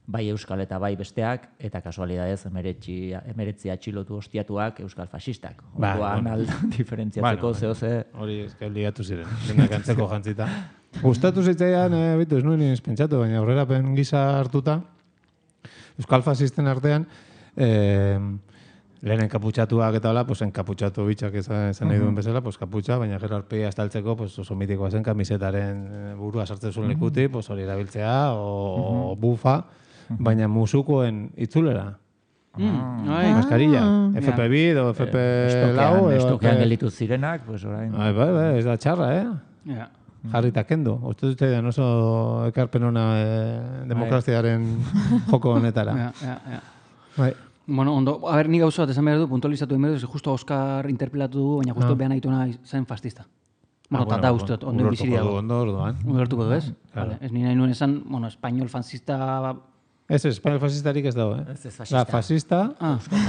bai euskal eta bai besteak, eta kasualidadez 19 atxilotu hostiatuak euskal fasistak. Orduan diferentziatzeko zehose... Hori ezka ligatu ziren, denak antzeko jantzita. Gustatu zitzaian, ez nuen pentsatu, baina aurrerapen gisa hartuta, euskal fasisten artean, lehen enkaputxatuak eta hola, enkaputxatu bitxak esan nahi duen bezala, kaputxa, baina gero arpegia estaltzeko oso mitikoa zen kamisetaren burua sartzen zuen lekuti, hori erabiltzea, o bufa, baina musukoen itzulera. Maskarilla. FP2 edo FP4. Estokean gelitu zirenak, orain... Bai, ez da txarra, Jarrita kendo. Uste dut edan oso ekarpen ona demokraziaren joko honetara. Bai. Bueno, ondo, ni gauza bat esan behar du, puntualizatu egin behar du, justo Oskar interpelatu du, baina justo behan aituna zen fascista. Bueno, tata uste dut, ondo biziri dago. Ulertuko du, ez? Ez nire nahi nuen esan, espainol fascista... Ez, espainol fascistarik ez dago, Ez fascista. Fascista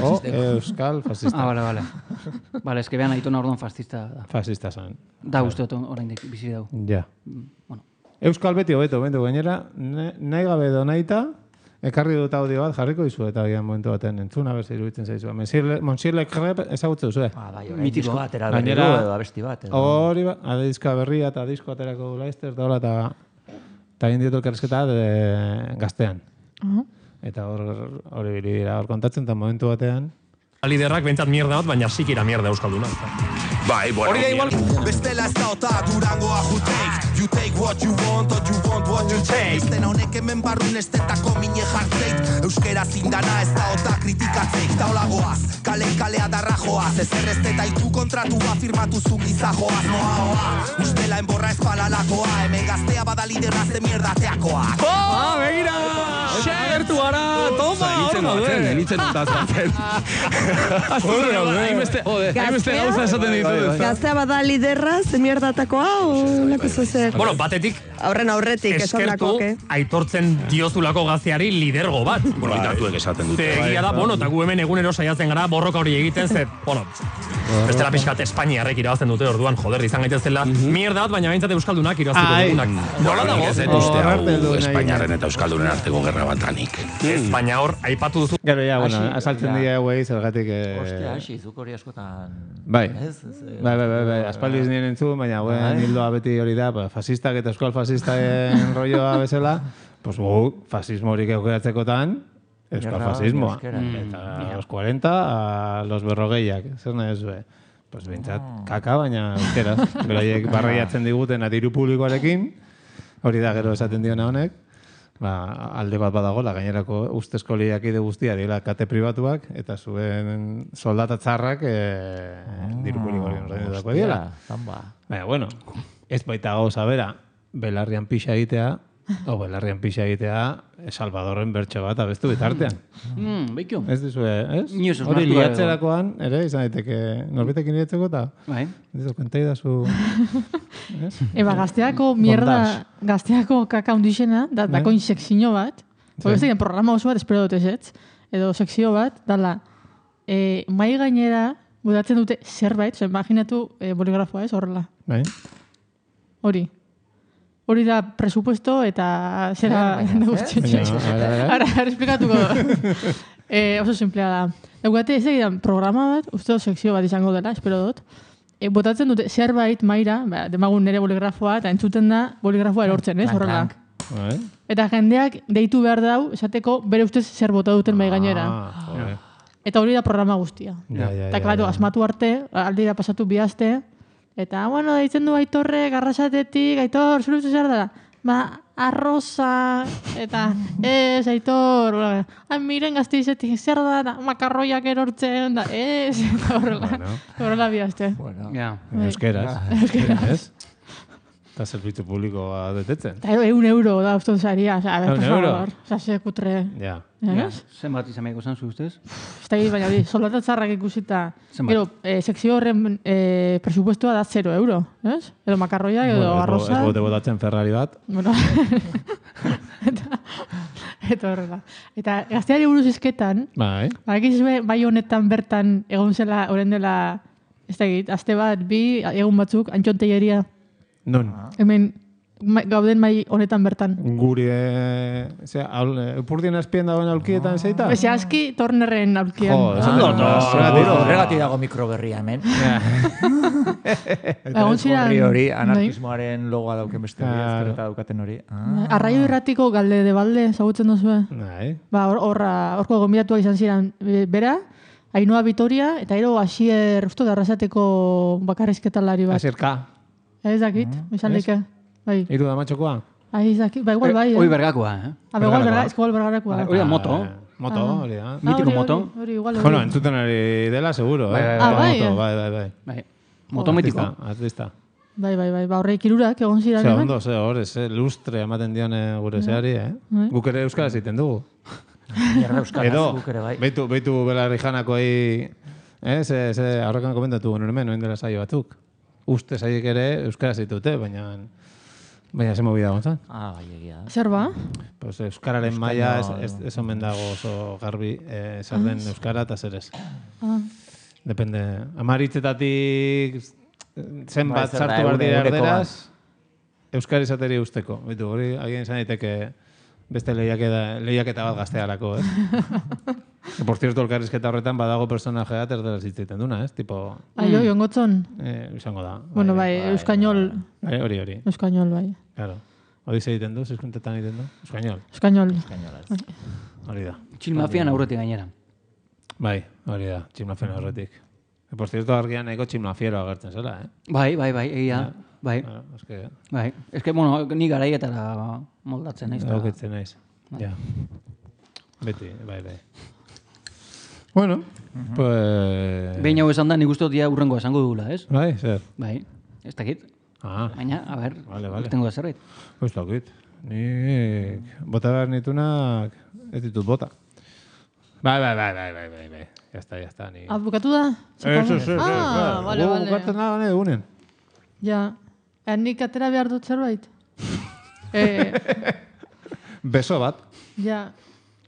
o euskal fascista. Vale. Vale, ez que behan aituna orduan fascista da. Fascista zen. Da uste dut orain biziri dago. Ja. Euskal beti hobeto, gainera, nahi gabe edo nahita, ekarri dut audio bat, jarriko dizu eta gian momentu baten entzuna, berzi iruditzen zaizu. Monsieur Le Crep ezagutze duzu, Mitiko atera berri du edo abesti bat. Hori bat, diska berria eta disko aterako du Laizter, eta egin diotu elkarrezketa gaztean. Eta hori bili dira hor kontatzen, eta momentu batean... Liderrak bentsat mierda bat, baina sikira mierda euskalduna. Bai, bueno. Hori da igual. Bestela ez da ota Durangoa who take. You take what you want, or you want what you take. Estena honek hemen barrun estetako mine jartzeit. Euskera zindana ez da ota kritikatzeik. Taolagoaz, kalea darra joaz. Ezer ez detaitu kontratua firmatu zu gizajoaz. Noa, ustela enborra espalalakoa. Hemen gaztea bada liderra ze mierdateakoa. Begira! Agertu gara! Toma! Nitzen ontazatzen. Hainbeste gauza esaten ditu. Gaztea bada liderra, ze mierdatakoa, o lako zer? Bueno, batetik... Aurretik, eskertu aitortzen diozulako gazteari lidergo bat. Bueno, itatuek esaten dute. Egia da, eta gu hemen egunero saiatzen gara borroka hori egiten, bestela pixkat Espainiarrek irabazten dute orduan, izan gaitezela mierda bat, baina behintzat euskaldunak irabaztuko dugunak. Nola dago? Ez uste hau Espainiarren eta euskaldunen arteko gerra batanik. Espainia hor, aipatu duzu. Gero, asaltzen dira hauei, zergatik... Ostia, zuk hori askotan... Bai, aspaldiz nien entzun, baina hildoa beti hori da, fasistak eta euskal fasistaren rolloa bezala, pues fasismorik eukeratzekotan, euskal fasismoa. Eta los 40 a los berrogeiak, zer nahi zuen. Pues bintzat, kaka, baina euskeraz. Beraiek barreiatzen diguten diru publikoarekin, hori da gero esaten diona honek, alde bat badagola, gainerako ustezko lehiakide guztia dira kate pribatuak, eta zuen soldata txarrak diru publikoarekin ordaindutako dira. Baina, bueno, ez baita gauza bera, belarrian pixa egitea, Belarrian pixa egitea, Salvadorren bertso bat abestu bitartean. Beikio. Ez dizue, ez? Hori liatzerakoan, ere, izan daiteke norbitekin liatzeko eta... Bai. Ez kontai da zu... Gazteako mierda, gazteako kaka hundixena, dakoin sekzio bat, ez egin programa oso bat, espero dut ez, edo sekzio bat, dala, mai gainera, budatzen dute zerbait, imaginatu boligrafoa ez, horrela. Bai. Hori da presupuesto eta zera guztitxe. Ara, esplikatuko. Oso simplea da. Eugate, ez egidan programa bat, uste sekzio bat izango dela, espero dut. Botatzen dute zerbait maira, demagun nire boligrafoa, eta entzuten da boligrafoa erortzen, ez, horrela. Eta jendeak deitu behar dau, esateko bere ustez zer bota duten mai gainera. Eta hori da programa guztia. Eta, klaro, asmatu arte, aldira pasatu bihazte, eta, bueno, deitzen du Aitorre, Garrasatetik, Aitor, zure ustez zer da? Arroza, eta, ez, Aitor, miren Gasteizetik, zer da, makarroiak erortzen, da, ez, eta horrela bihazte. Euskeraz, ez? Eta zerbitzu publikoa betetzen. Eta €1 da uston zaria, por favor, sekutre. Ja. Zenbat izan behiko zan zu ustez? Ez da baina hori, soldatatzarrak ikusita. Gero, sekzio horren presupuestua da €0, ez? Edo makarroia, edo arroza. Ez bote botatzen Ferrari bat. Bueno, eta horrela. Eta gazteari buruz izketan, bai honetan bertan egon zela, horren dela, ez da egit, aste bat, bi, egun batzuk, Antxon Telleria. Non? Hemen, gauden mai honetan bertan. Guri, Epurdien azpien dagoen aulkietan zeita? Eze, aski Tornerren aulkian. Horregatik dago mikroberria, hemen. Hori, anarkismoaren logoa dauken beste ezkerreta daukaten hori. Arraio irratiko galde de balde, zagutzen duzue? Horko gombidatuak izan ziren bera, Ainhoa Vitoria, eta ero Asier, usto da arrasateko bakarrizketalari bat. Asier K. Ez dakit, izan leke. Iru da matxokoa? Ez dakit, igual bai. Hoi bergakoa, igual bergakoa. Hori da moto. Moto, hori da. Mitiko moto. Bueno, entzuten ari dela, seguro. Bai. Moto mitiko. Atlista. Bai, horreik irurak egon ziren. Ondo, hor, lustre ematen dion gure zeari, Guk ere euskaraz egiten dugu. Edo, beitu belarri janakoei, aurrekan komentatu guen hemen, noen dela saio batzuk. Uste zaiek ere euskaraz ditute, baina ze movida gontzan. Bai, egia. Zer ba? Euskararen maila ez omen dago oso garbi zer den euskara eta zer ez. Depende. Amaritzetatik zenbat sartu behar dira erderaz, euskara izateri usteko. Hori, agien izan daiteke beste lehiaketa bat gaztearako, Por cierto, elkarrizketa horretan badago personajea erderaz hitzaiten duna, Tipo... Ongotzon? Izango da. Bueno, euskainol... Hori. Euskainol, bai. Claro. Hori ze egiten du, zizkuntetan egiten du? Euskainol. Hori da. Txilmafian aurretik gainera. Bai, hori da, txilmafian aurretik. Por cierto, argian eko txilmafiero agertzen zela, Bai, egia. Bai. Ez que, bueno, ni garaietara moldatzen naiz. Dauketzen naiz. Ja. Beti, bai. Bueno, pues... Behin hau esan da, nik uste dut urrengoa esango dugula, ez? Bai, zer? Bai, ez dakit. Baina, a ber, tengo da zerbait. Ez dakit. Nik bota behar nitunak ez ditut bota. Bai. Ya está. Bukatu da? Eso. Vale. Bukatzen da, gane dugunen. Ja. Nik atera behar dut zerbait? Beso bat. Ja.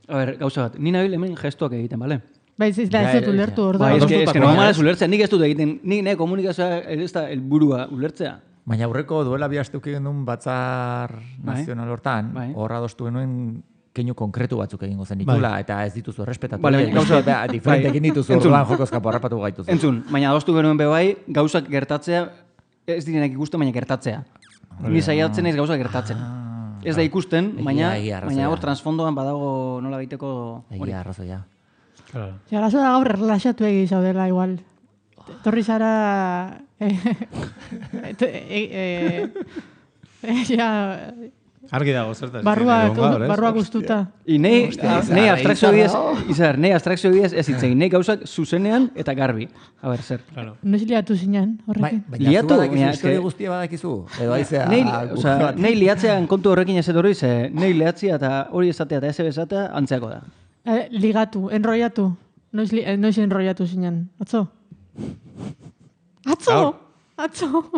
A ber, gauza bat, ni nabil hemen gestuak egiten, bale? Bai, ez da ez dut ulertu hor da. Ez que no malas ulertzea, nik ez dut egiten, nik komunikazioa ez da helburua ulertzea. Baina aurreko duela bi aste uki genuen batzar nazional hortan, horra adostu genuen keinu konkretu batzuk egingo zen ditula, eta ez dituzu errespetatu. Bale, gauza bat. Diferente egin dituzu orduan jokozkapo harrapatu gaituzu. Entzun, baina adostu genuen bebai, gauzak gertatzea, ez direnak ikusten, baina gertatzea. Ni saiatzen ez gauzak gertatzen. Ez da ikusten, baina hor transfondoan badago nola baiteko... Egia arrazoia. Arazo da gaur erlaxatu zaudela igual. Torri zara... Argi dago, zertaz. Barruak guztuta. Nei abstrakzio bidez ez hitzegin. Nei gauzak zuzenean eta garbi. A ber, zer. Noiz liatu zinen, horrekin? Liatu? Historia guztia badakizu? Edo aizea... Nei liatzean kontu horrekin ez etorri, ze nei liatzia eta hori esatea eta ez esatea antzeako da. Ligatu, enroiatu. Noiz enroiatu zinen. Atzo? Atzo!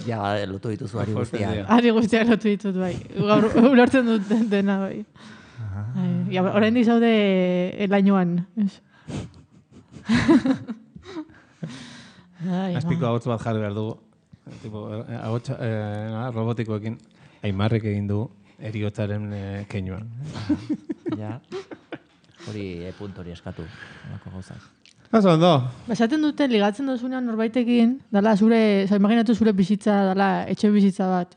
Ja, lotu dituzu ari guztiak. Ari guztiak lotu ditut, bai. Gaur ulertzen dut dena, bai. Horrein dizaude elainoan. Azpiko agotz bat jarri behar dugu. Robotikoekin. Aimarrek egin du eriotzaren keinuan. Ja. Hori puntori eskatu. Olako gauzak. Oso ondo. Esaten dute, ligatzen dozunean norbaitekin, dala imaginatu zure bizitza, dala etxe bizitza bat.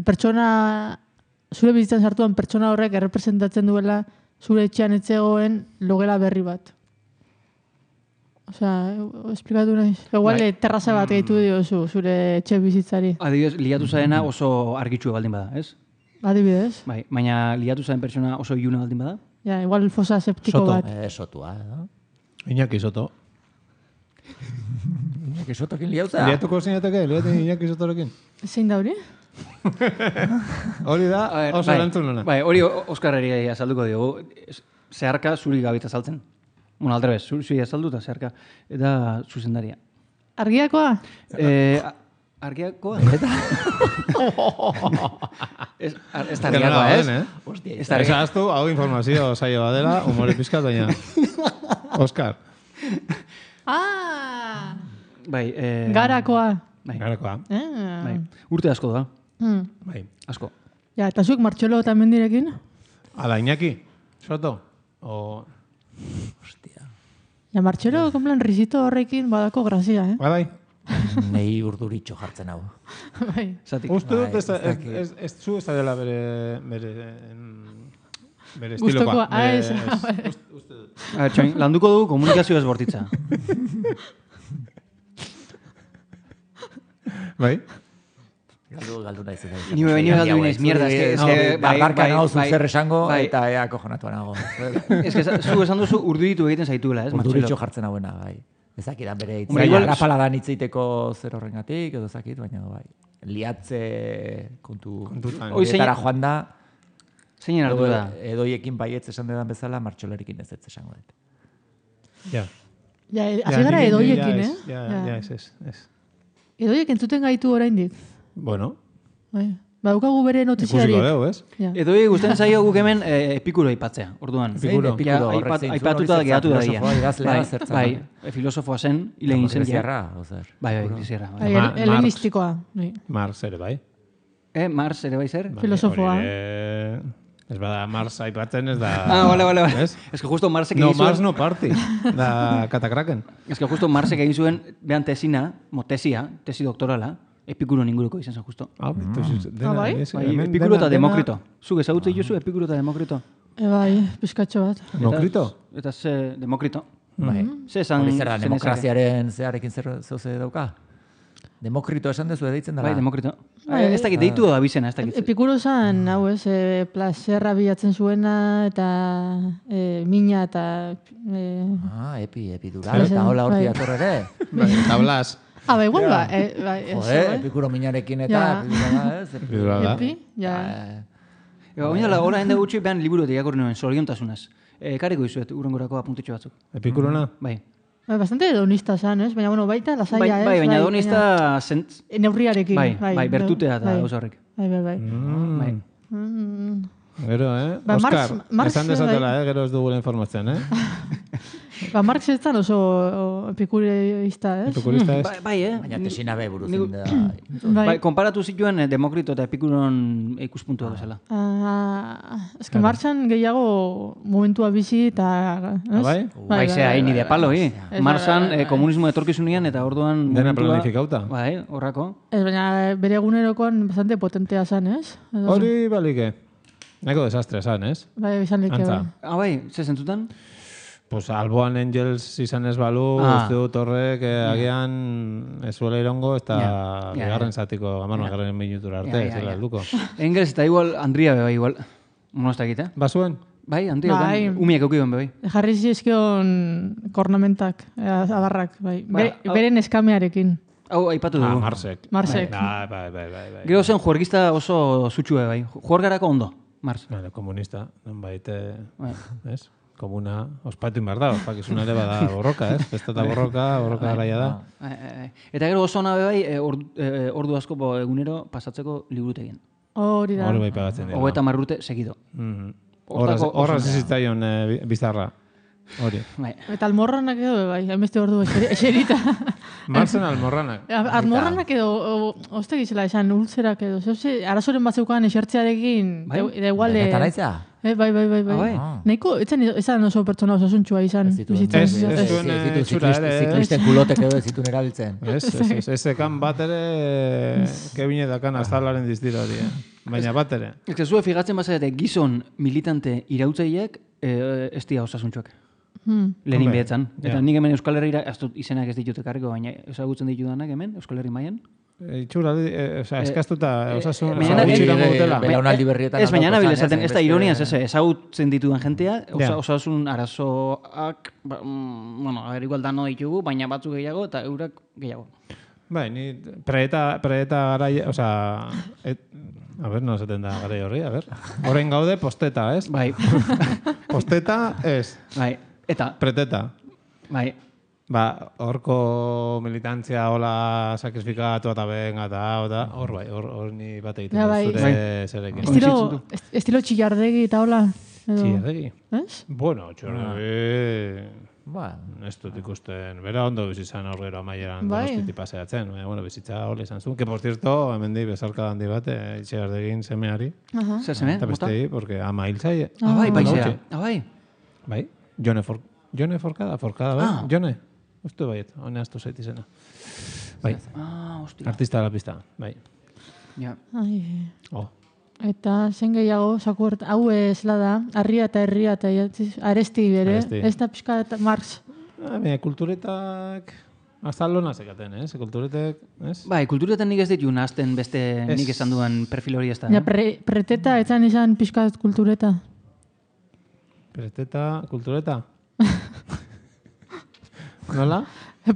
Pertsona, zure bizitzan sartuan pertsona horrek errepresentatzen duela zure etxean etzegoen logela berri bat. Osea, esplikatu nahiz. Igual terraza bat gehitu diozu zure etxe bizitzari. Adibidez, liatu zaena oso argitxu baldin bada, ez? Adibidez. Bai, baina liatu zaen pertsona oso iluna baldin bada? Ja, igual fosa septiko bat. Sotua, edo? Iñaki Soto. Iñaki Sotokin liauza? Liatuko zinateke, Iñaki Sotorekin. Zein da hori? Hori da, oso erantzun nona. Bai, hori Oskarreri azalduko diogu. Zeharka zuri gabita azaltzen. Bueno, aldrebez, zuri azaldu eta zeharka. Eta zuzendaria. Argiakoa? Argiakoa? Ez da argiakoa, ez? Ez ahaztu, hau informazio zaila badela, humore pizkat, baina... Oskar. Bai, Garakoa. Garakoa. Bai. Urte asko da. Bai. Asko. Ja, eta zuek Martxelo eta mendirekin? Ala, Iñaki. Soto. Hostia. Ja, Martxelo, konplan, risito horrekin badako grazia, Bai. Nei urduritxo jartzen hau. Bai. Uste dut ez zu ez da dela bere estilokoa. Uste dut. Landuko du komunikazio ez bortitza. Bai? Galdu naiz. Ni galdu naiz, mierda. Barbarka nago zer esango eta ea kojonatu nago. Ez que zu esan duzu urduritu egiten zaituela, ez? Urduritxo jartzen hauena, bai. Ezakidan bere hitz. Rapaladan hitzeiteko zer horrengatik, edo ezakit, baina bai. Liatze kontuetara joan da. Zeinen hartu da? Edoiekin baietz esan dedan bezala, Martxolerikin ez esango dut. Ja. Ja, hazi gara edoiekin, Ja, ez. Edoiek entzuten gaitu oraindik. Bueno. Baukagu bere notiziari. Ikusiko dugu, ez? Edoi gusten zaio guk hemen Epikuro aipatzea, orduan. Epikuro. Aipatuta gehiatu da ia. Bai, filosofoa zen, hile egin zen. Bai, Greciarra. Helenistikoa. Mars ere bai. Mars ere bai zer? Filosofoa. Ez bada Mars aipatzen ez da... Vale. Ez que justo Marsek egin zuen... No, Mars no party. Da Katakraken. Ez que justo Marsek egin zuen, behan tesi doktorala, Epikuro inguruko izan zen justo. Bai? Epikuro eta Demokrito. Zuk ezagutzen jozu Epikuro eta Demokrito? Bai, pizkatxo bat. Demokrito? Eta ze Demokrito. Bai. Hori zer da, demokraziaren zearekin zeuze dauka? Demokrito esan dezu deitzen dela? Bai, Demokrito. Ez dakit deitu da bizena, ez dakit. Epikuro zan, hau ez, plazerra bilatzen zuena, eta mina, eta... Epidural, eta hola horti atorre ere. Eta blas. Bai, igual ba. Epikuro minarekin eta epidural da. Epi, ja. Oinala, hola hende gutxi, behan liburu eta jakorri nuen, zoriontasunaz. Kariko izuet, urrengorako apuntitxo batzuk. Epikurona? Bai. Bastante hedonista zan, ez? Baina, bueno, baita, lasaia, ez? Bai, baina hedonista... Neurriarekin. Bai, bertutea eta gauza horrek. Bai. Gero, Oskar, esan dezatela, gero ez dugula informatzen, Marx ez zan oso epikurista, ez? Epikurista ez? Bai, Baina tesina be buruzin da. Bai, konparatu zituen Demokrito eta Epikuron ikuspuntua bezala. Ez que Marxan gehiago momentua bizi eta... Bai? Bai, zea, ni de palo, Marxan komunismo etorkizunean eta orduan... Dena planifikauta. Bai, horrako. Ez, baina bere egunerokoan bastante potentea zan, ez? Hori balike. Nahiko desastre zan, ez? Bai, izan like. Bai, ze zentzutan? Pues Alboan Angels izan ez balu, uste dut horrek agian ez zuela irongo, eta bigarren zatiko, garren minutura arte, ez dela helduko. Engels eta igual, Andria beba igual, monostakita. Basuen? Bai, Andria, umiak eukion bai. Jarri zizkion kornamentak, adarrak, bai. Beren eskamearekin. Hau, aipatu dugu. Marsek. Bai. Gero zen juergista oso zutxue bai. Juergarako ondo, Mars. Komunista, non baite, ez? Komuna, ospatu inbar da, ospakizuna ere bada borroka, ez? Festa eta borroka garaia da. Eta gero oso nabe bai, ordu asko egunero pasatzeko liburutegin. Hori da. Hori bai pagatzen dira. 30 urte segido. Horra zizitzaion bizarra. Hori. Eta almorranak edo bai, hainbeste ordu eserita. Marzen almorranak. Almorranak edo, oste gizela esan, ultzerak edo. Arazoren bat zeukan esertzearekin, da igual... Eta naitza? Bai. Nahiko, ezan oso pertsona osasuntxua izan. Ez zuen txura ere. Ziklisten kulotek edo ez zituen erabiltzen. Ez ekan bat ere, kebine dakan azalaren dizdira hori. Baina bat ere. Ez zuen figatzen bazarete gizon militante irautzaileak ez dira osasuntxuak. Lehenin behetzan. Eta nik hemen Euskal Herriera, ez dut izenak ez ditut ekarriko, baina ezagutzen ditudanak hemen, Euskal Herri mailan. Itxura, eskaztuta, osasun itxirango dutela. Belaunaldi berrietan. Ez, baina nabil esaten, ez da ironiaz, ezagutzen ditudan jentea, osasun arazoak, bueno, igual dano ditugu, baina batzuk gehiago eta eurak gehiago. Bai, ni preeta garaia, oza, a ber, no zaten da garai horri, a ber. Horrein gaude posteta, ez? Bai. Posteta, ez. Bai. Eta? Preteta. Bai. Ba, horko militantzia hola sakrifikatu eta benga eta hor bai, hor ni bat egiten zure zerekin. Estilo txillardegi eta hola? Txillardegi? Ez? Bueno, txillardegi... Ez dut ikusten, bera ondo bizizan horrero amaieran donostitik paseatzen. Bueno, bizitza hola izan zuen. Que, por cierto, hemen di bezarka handi bat, txillardegin semeari. Zer seme? Eta bestei, porque ama hil zaie. Bai, baizea. Bai. Bai, Jone Forkada, bai? Jone? Uste baiet, hone aztu zait izena. Bai, artista de la pista, bai. Ja. Eta zen gehiago, sakurt, hau ez da, arria eta herria eta aresti bere, ez da pixka eta Marx. Kulturetak... Azalona zekaten, ez? Kulturetek, ez? Bai, kulturetan nik ez ditu nazten beste nik esan duan perfil hori ez da. Preteta, etzan izan pixka kultureta. Preteta, kultureta? Nola?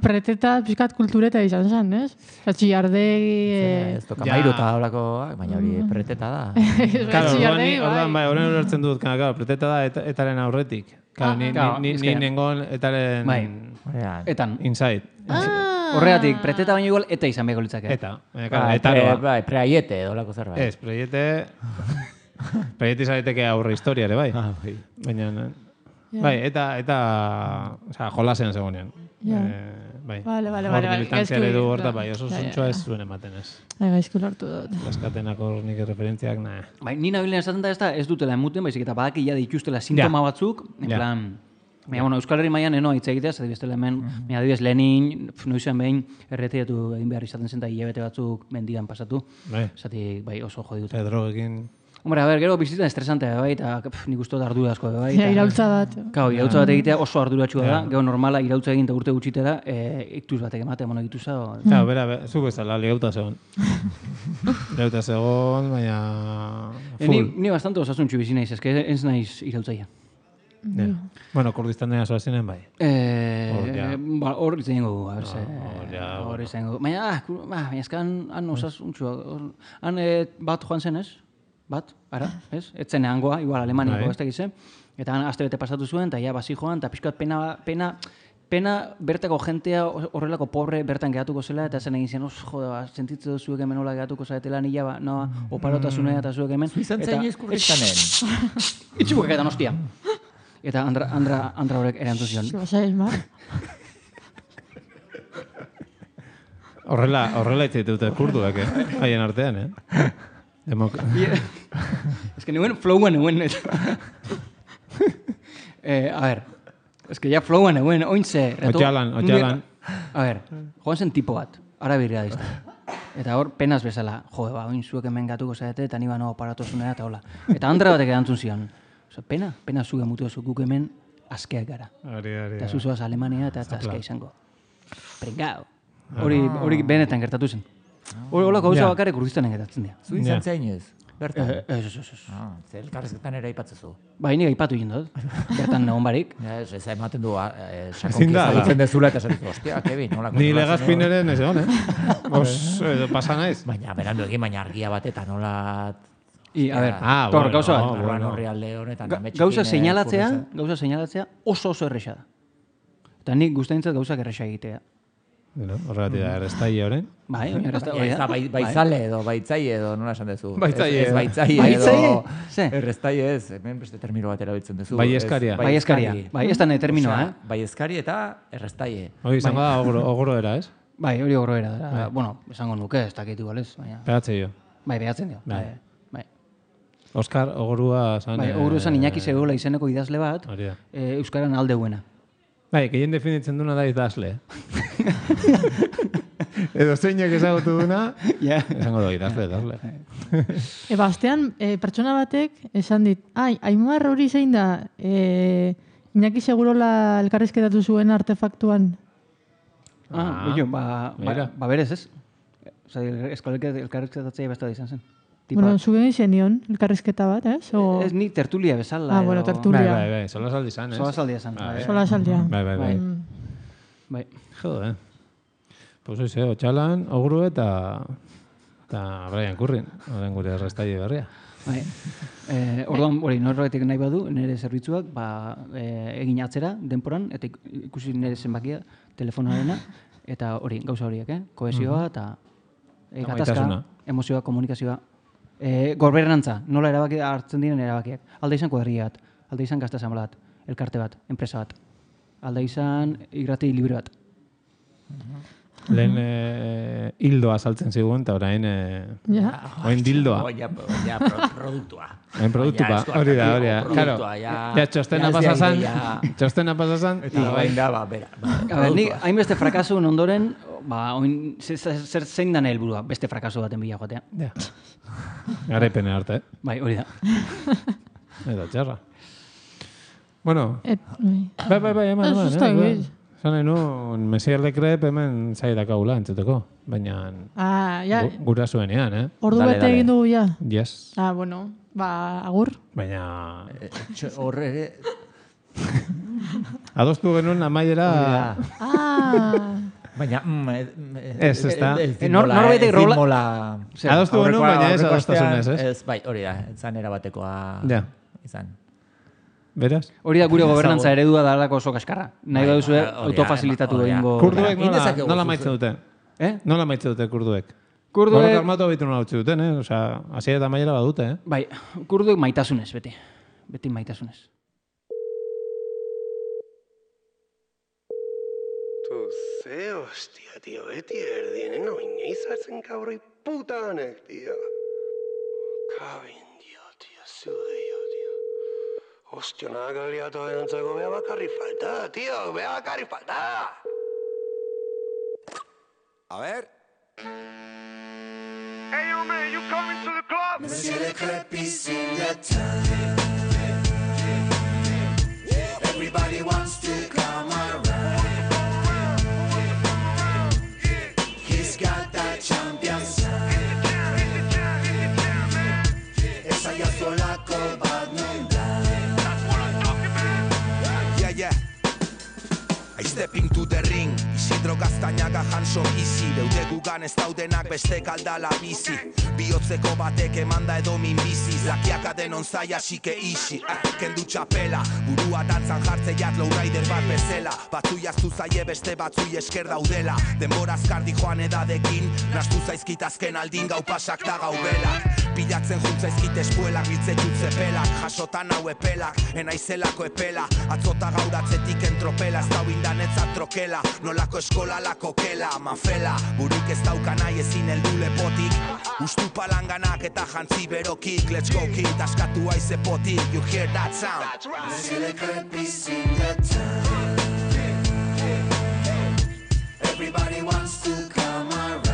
Preteta, pixkat kultureta izan zen, ez? Txillardegi... Ez toka mairu eta horako, baina hori preteta da. Txillardegi, bai. Horren ulertzen dut, preteta da etaren aurretik. Ni nengon etaren... Etan. Inside. Horregatik, preteta baino igual eta izan behiko litzake. Bai, preaiete, dolako zerbait. Ez, preaiete... Preaiete izareteke aurre historia ere, bai. Baina... Bai, eta jolasean zegoenean. Bai. Vale. Hor militantzia eredu horta, bai, oso zuntxoa ez zuen ematen ez. Gaizku lartu dut. Laskatenak hor nik referentziak, nahi. Bai, nina bilen esaten da ez dutela emuten, baizik eta badak ia dituztela sintoma batzuk, en plan... Euskal Herri mailan eno hitz egitea, zati bestela hemen, adibidez Lenin, noizen behin, erretiatu egin behar izaten zen, eta hilabete batzuk mendian pasatu. Zati, bai, oso jodi dut. Drogekin... Hombre, a ber, gero bizitzen estresantea, bai, eta nik uste dut ardura asko, bai. Irautza bat. Kau, irautza bat egitea oso arduratxua da, gero normala irautza egin eta urte gutxitera, iktuz batek ematea, mono egituza. Bera, zu bezala, ligauta zegoen. Ligauta zegoen, baina... Ni bastante osasuntxu bizi naiz, eske ez naiz irautzaia. Bueno, Kurdistanen asoazinen bai. Hor izan dugu, a berse. Hor izan dugu. Baina, eskan han osasuntxua. Han bat joan zen ez? Bat, ara, ez? Etzen hangoa, igual Alemaniko ez tegize. Eta han aste bete pasatu zuen, eta ja basi joan, eta pixkat pena bertako jentea horrelako pobre bertan gehatuko zela, eta zen egin zen, jode, sentitze dut zuek hemen hola gehatuko zaretela nila, oparotasunea eta zuek hemen. Zuizan zain ezkurristanen. Itxubuk eta nostia. Eta Andra horrek erantzun zion. Horrela itzaite dute kurduak, haien artean, Ez que nuen flowan eguen. A ver, ez que ja flowan eguen, ointze... Otxalan. A ver, joan zen tipo bat, arabirria dizta. Eta hor, penaz bezala, jode, oin zuek hemen gatuko zaite, eta niba no aparatozunea eta hola. Eta Andra batek erantzun zion. Pena zuge mutu oso guk hemen askeak gara. Hori. Eta zuzoaz Alemania eta askea izango. Pringao. Hori benetan gertatu zen. Hori gauza bakarrik Kurdistanen gertatzen dira. Zu izan zainez? Bertan? Ez. Zer elkarrezketan ere aipatzezu. Ba, hini aipatu egin dut. Bertan egon barik. Ez ematen du sakonki ezagutzen dezula eta esatzen, ostia, Kevin, nola. Ni Legazpin ere ez egon, pasa naiz. Baina, berandu egin, baina argia bat eta nola... A ver, gauza bat. Gauza seinalatzea oso erresa da. Eta nik guztaintzat gauzak erresa egitea. Horregatik da, errestaile horren. Bai, baitzale edo, baitzaile edo, nola esan dezu? Baitzaile edo, errestaile ez, hemen beste termino bat erabiltzen dezu. Baieskaria. Bai, ez da terminoa, Baieskaria eta errestaile. Hori izango da ogoro era, ez? Bai, hori ogoro era da. Bueno, esango nuke, ez dakit igual ez. Behatzen dio. Bai, behatzen dio. Oskar ogorua zan... Bai, ogorua zan Iñaki Segurola izeneko idazle bat, euskaran aldeuena. Bai, gehien definitzen duna da idazle. Edo zeinak ezagutu duna, esango da idazle. Bastean, pertsona batek esan dit, Aimar hori zein da, Iñaki Segurola elkarrizketatu zuen artefaktuan. Ba berez ez. Elkarrizketatzea besta da izan zen. Bueno, zugen izan nion, elkarrizketa bat, ez? Ez ni tertulia bezala. Bueno, tertulia. Bai, solasaldi zan, ez? Solasaldia zan. Solasaldia. Bai. Jode. Pues oize, Otxalan, Ogru eta Brian Currin, horren gure errestaile berria. Bai. Orduan, norbaitetik nahi badu, nire zerbitzuak, egin atzera, denporan, eta ikusi nire zenbakia, telefonarena, eta hori, gauza horiek, kohesioa eta gatazka, emozioa, komunikazioa. Gorbernantza, nola erabaki hartzen diren erabakiak. Alda izan kuadrilla bat, alda izan gazta bat, elkarte bat, enpresa bat. Alda izan irrati libre bat. Lehen hildoa saltzen zigun, eta orain oin dildoa. Produktua. Oin produktua, hori da. Ja, txostena pasazan. Eta bain da, bera. Hainbeste frakasun ondoren, zer zein dan helburua, beste frakaso baten bila joatea. Garaipene arte. Bai, hori da. Eta txarra. Bueno. Bai, eman. Zan nahi nuen, Mesier de Krep hemen zaidak haula entzuteko, baina gura zuenean, Ordu bete egin dugu, ja? Yes. Bueno, agur. Baina... Horre... Adostu genuen amaiera... Baina... Ez da. Norbaitek rola... Adostu genuen, baina ez adostasunez, ez? Ez, bai, hori da, zan erabatekoa... Ja. Izan. Beraz? Hori da gure gobernantza eredua da alako oso kaskarra. Nahi baduzu autofazilitatu egingo... Kurduek nola maitzen dute? Nola maitzen dute kurduek? Kurduek... Armatu abitu nola utzi duten, Osea, hasiera eta maiera badute, Bai, kurduek maitasunez, beti. Beti maitasunez. Tu ze, hostia, tío, beti erdienen oineiz hartzen kabroi puta honek, tío. Kabin, tío, zude, tío. Hostia, nada galiatu denantzako beha bakarri falta, tío, beha bakarri falta. A ver. Hey, yo, man, you coming to the club? Monsieur Le Crêpe is in the town. Everybody wants to come around. He's got that champion sound. Esa ya solako bat nun da. I stepping to the ring, Isidro Gaztañaga Hanso Gizi, beude gugan ez daudenak beste kaldala bizi. Bihotzeko batek emanda edo min bizi, zakiaka denon zaia xike isi. Kendu txapela, burua dantzan jartzeiak lowrider bat bezela. Batzui aztu zaie beste batzui esker daudela. Denbora azkardi joan edadekin, nastu zaizkit azken aldin gau pasak da gau belak. Pilatzen juntzaizkit espuelak, biltzen jutze pelak, jasotan hau epelak, enaizelako epela. Atzota gauratzetik entropela, ez dauindan etzat trokela, nolako eskola lako kela, mafela. Buruk ez daukan nahi ezin heldu lepotik, ustu palanganak eta jantzi berokik. Let's go kid, askatu aize potik, you hear that sound? Monsieur Le Crêpe is in the town. Everybody wants to come around.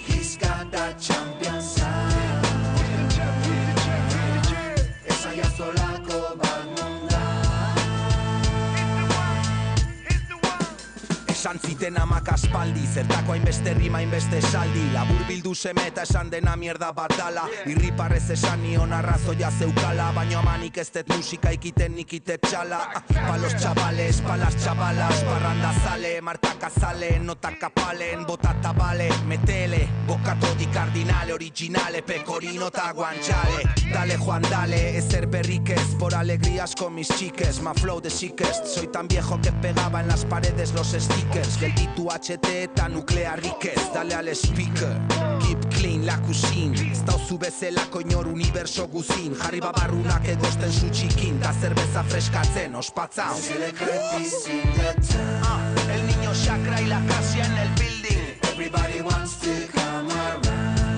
He's got that champion sound. Esa ya sola Esan ziten amak aspaldi, zertako hainbeste rima hainbeste esaldi. Labur bildu seme eta esan dena mierda bat dala. Irriparrez esan nion arrazoia zeukala, baino amanik ez dut musika ikiten nikitet txala. Palos chavales, palas chavalas, parranda zale, martaka zale, notaka palen, botata bale, metele, bokatodi kardinale, originale, pecorino ta guanchale. Dale Juan dale, ezer berrik ez, por alegrías con mis chiques, ma flow de sickest, soy tan viejo que pegaba en las paredes los stickers, gelditu HT eta nuklearrikez, dale al speaker, keep clean la cuisine, ez dauzu bezelako inor universo guzin, jarri babarrunak egosten zu txikin, da zerbeza freskatzen, ospatza. El niño chakra y la casia en el building, everybody wants to come around.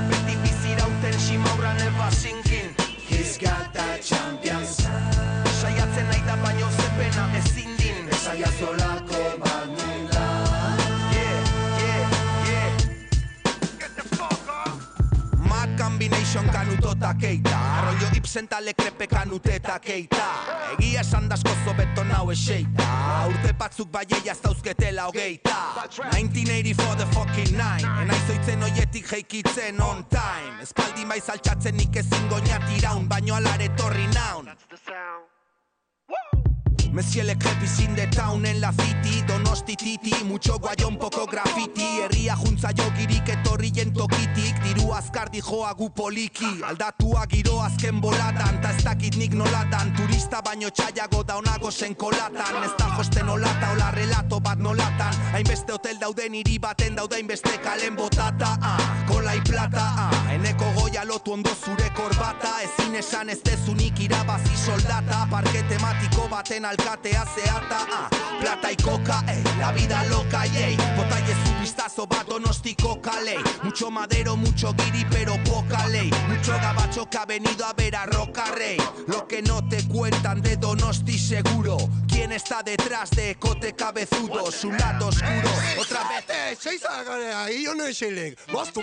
Beti bizirauten ximaurra never sinking, he's got that champions. Saiatzen nahi da baino zepena ezin din, esaia zolako bat nula. Get the fuck up. Mad combination kanutota keita, arroio ipsenta lekrepe kanuteta keita. Egia esan daskozo beton hau eseita, urte batzuk baieia ez dauzketela hogeita. 1984 the fucking 9, enaizoitzen oietik jeikitzen on time. Espaldi maiz altxatzen nik ezin goñat iraun, baino alare torri naun. Monsieur le crepizin de town en la city, Donosti titi, mucho guayón, poco graffiti. Herria juntza jogirik etorrien tokitik, diru azkar dijoa gu poliki. Aldatua giro azken bolatan, ta ez dakit nik nolatan. Turista baino txaiago daunago zen kolatan. Ez da josten olata, ola relato bat nolatan. Hainbeste hotel dauden hiri baten dauda hainbeste kalen botata. Kola y plata, eneko goia lotu ondo zure korbata. Ezin esan ez dezunik irabazi soldata. Parke tematiko baten alkatea zeata, plata y coca, la vida loca, yey. Botalle su vistazo bat Donostiko kalei. Mucho madero, mucho guiri, pero poca ley. Mucho gabacho que ha venido a ver a Roca Rey. Lo que no te cuentan de Donosti seguro. ¿Quién está detrás de Cote Cabezudo? Su lado oscuro. Otra vez. Seis ahí, yo no sé. Bastu.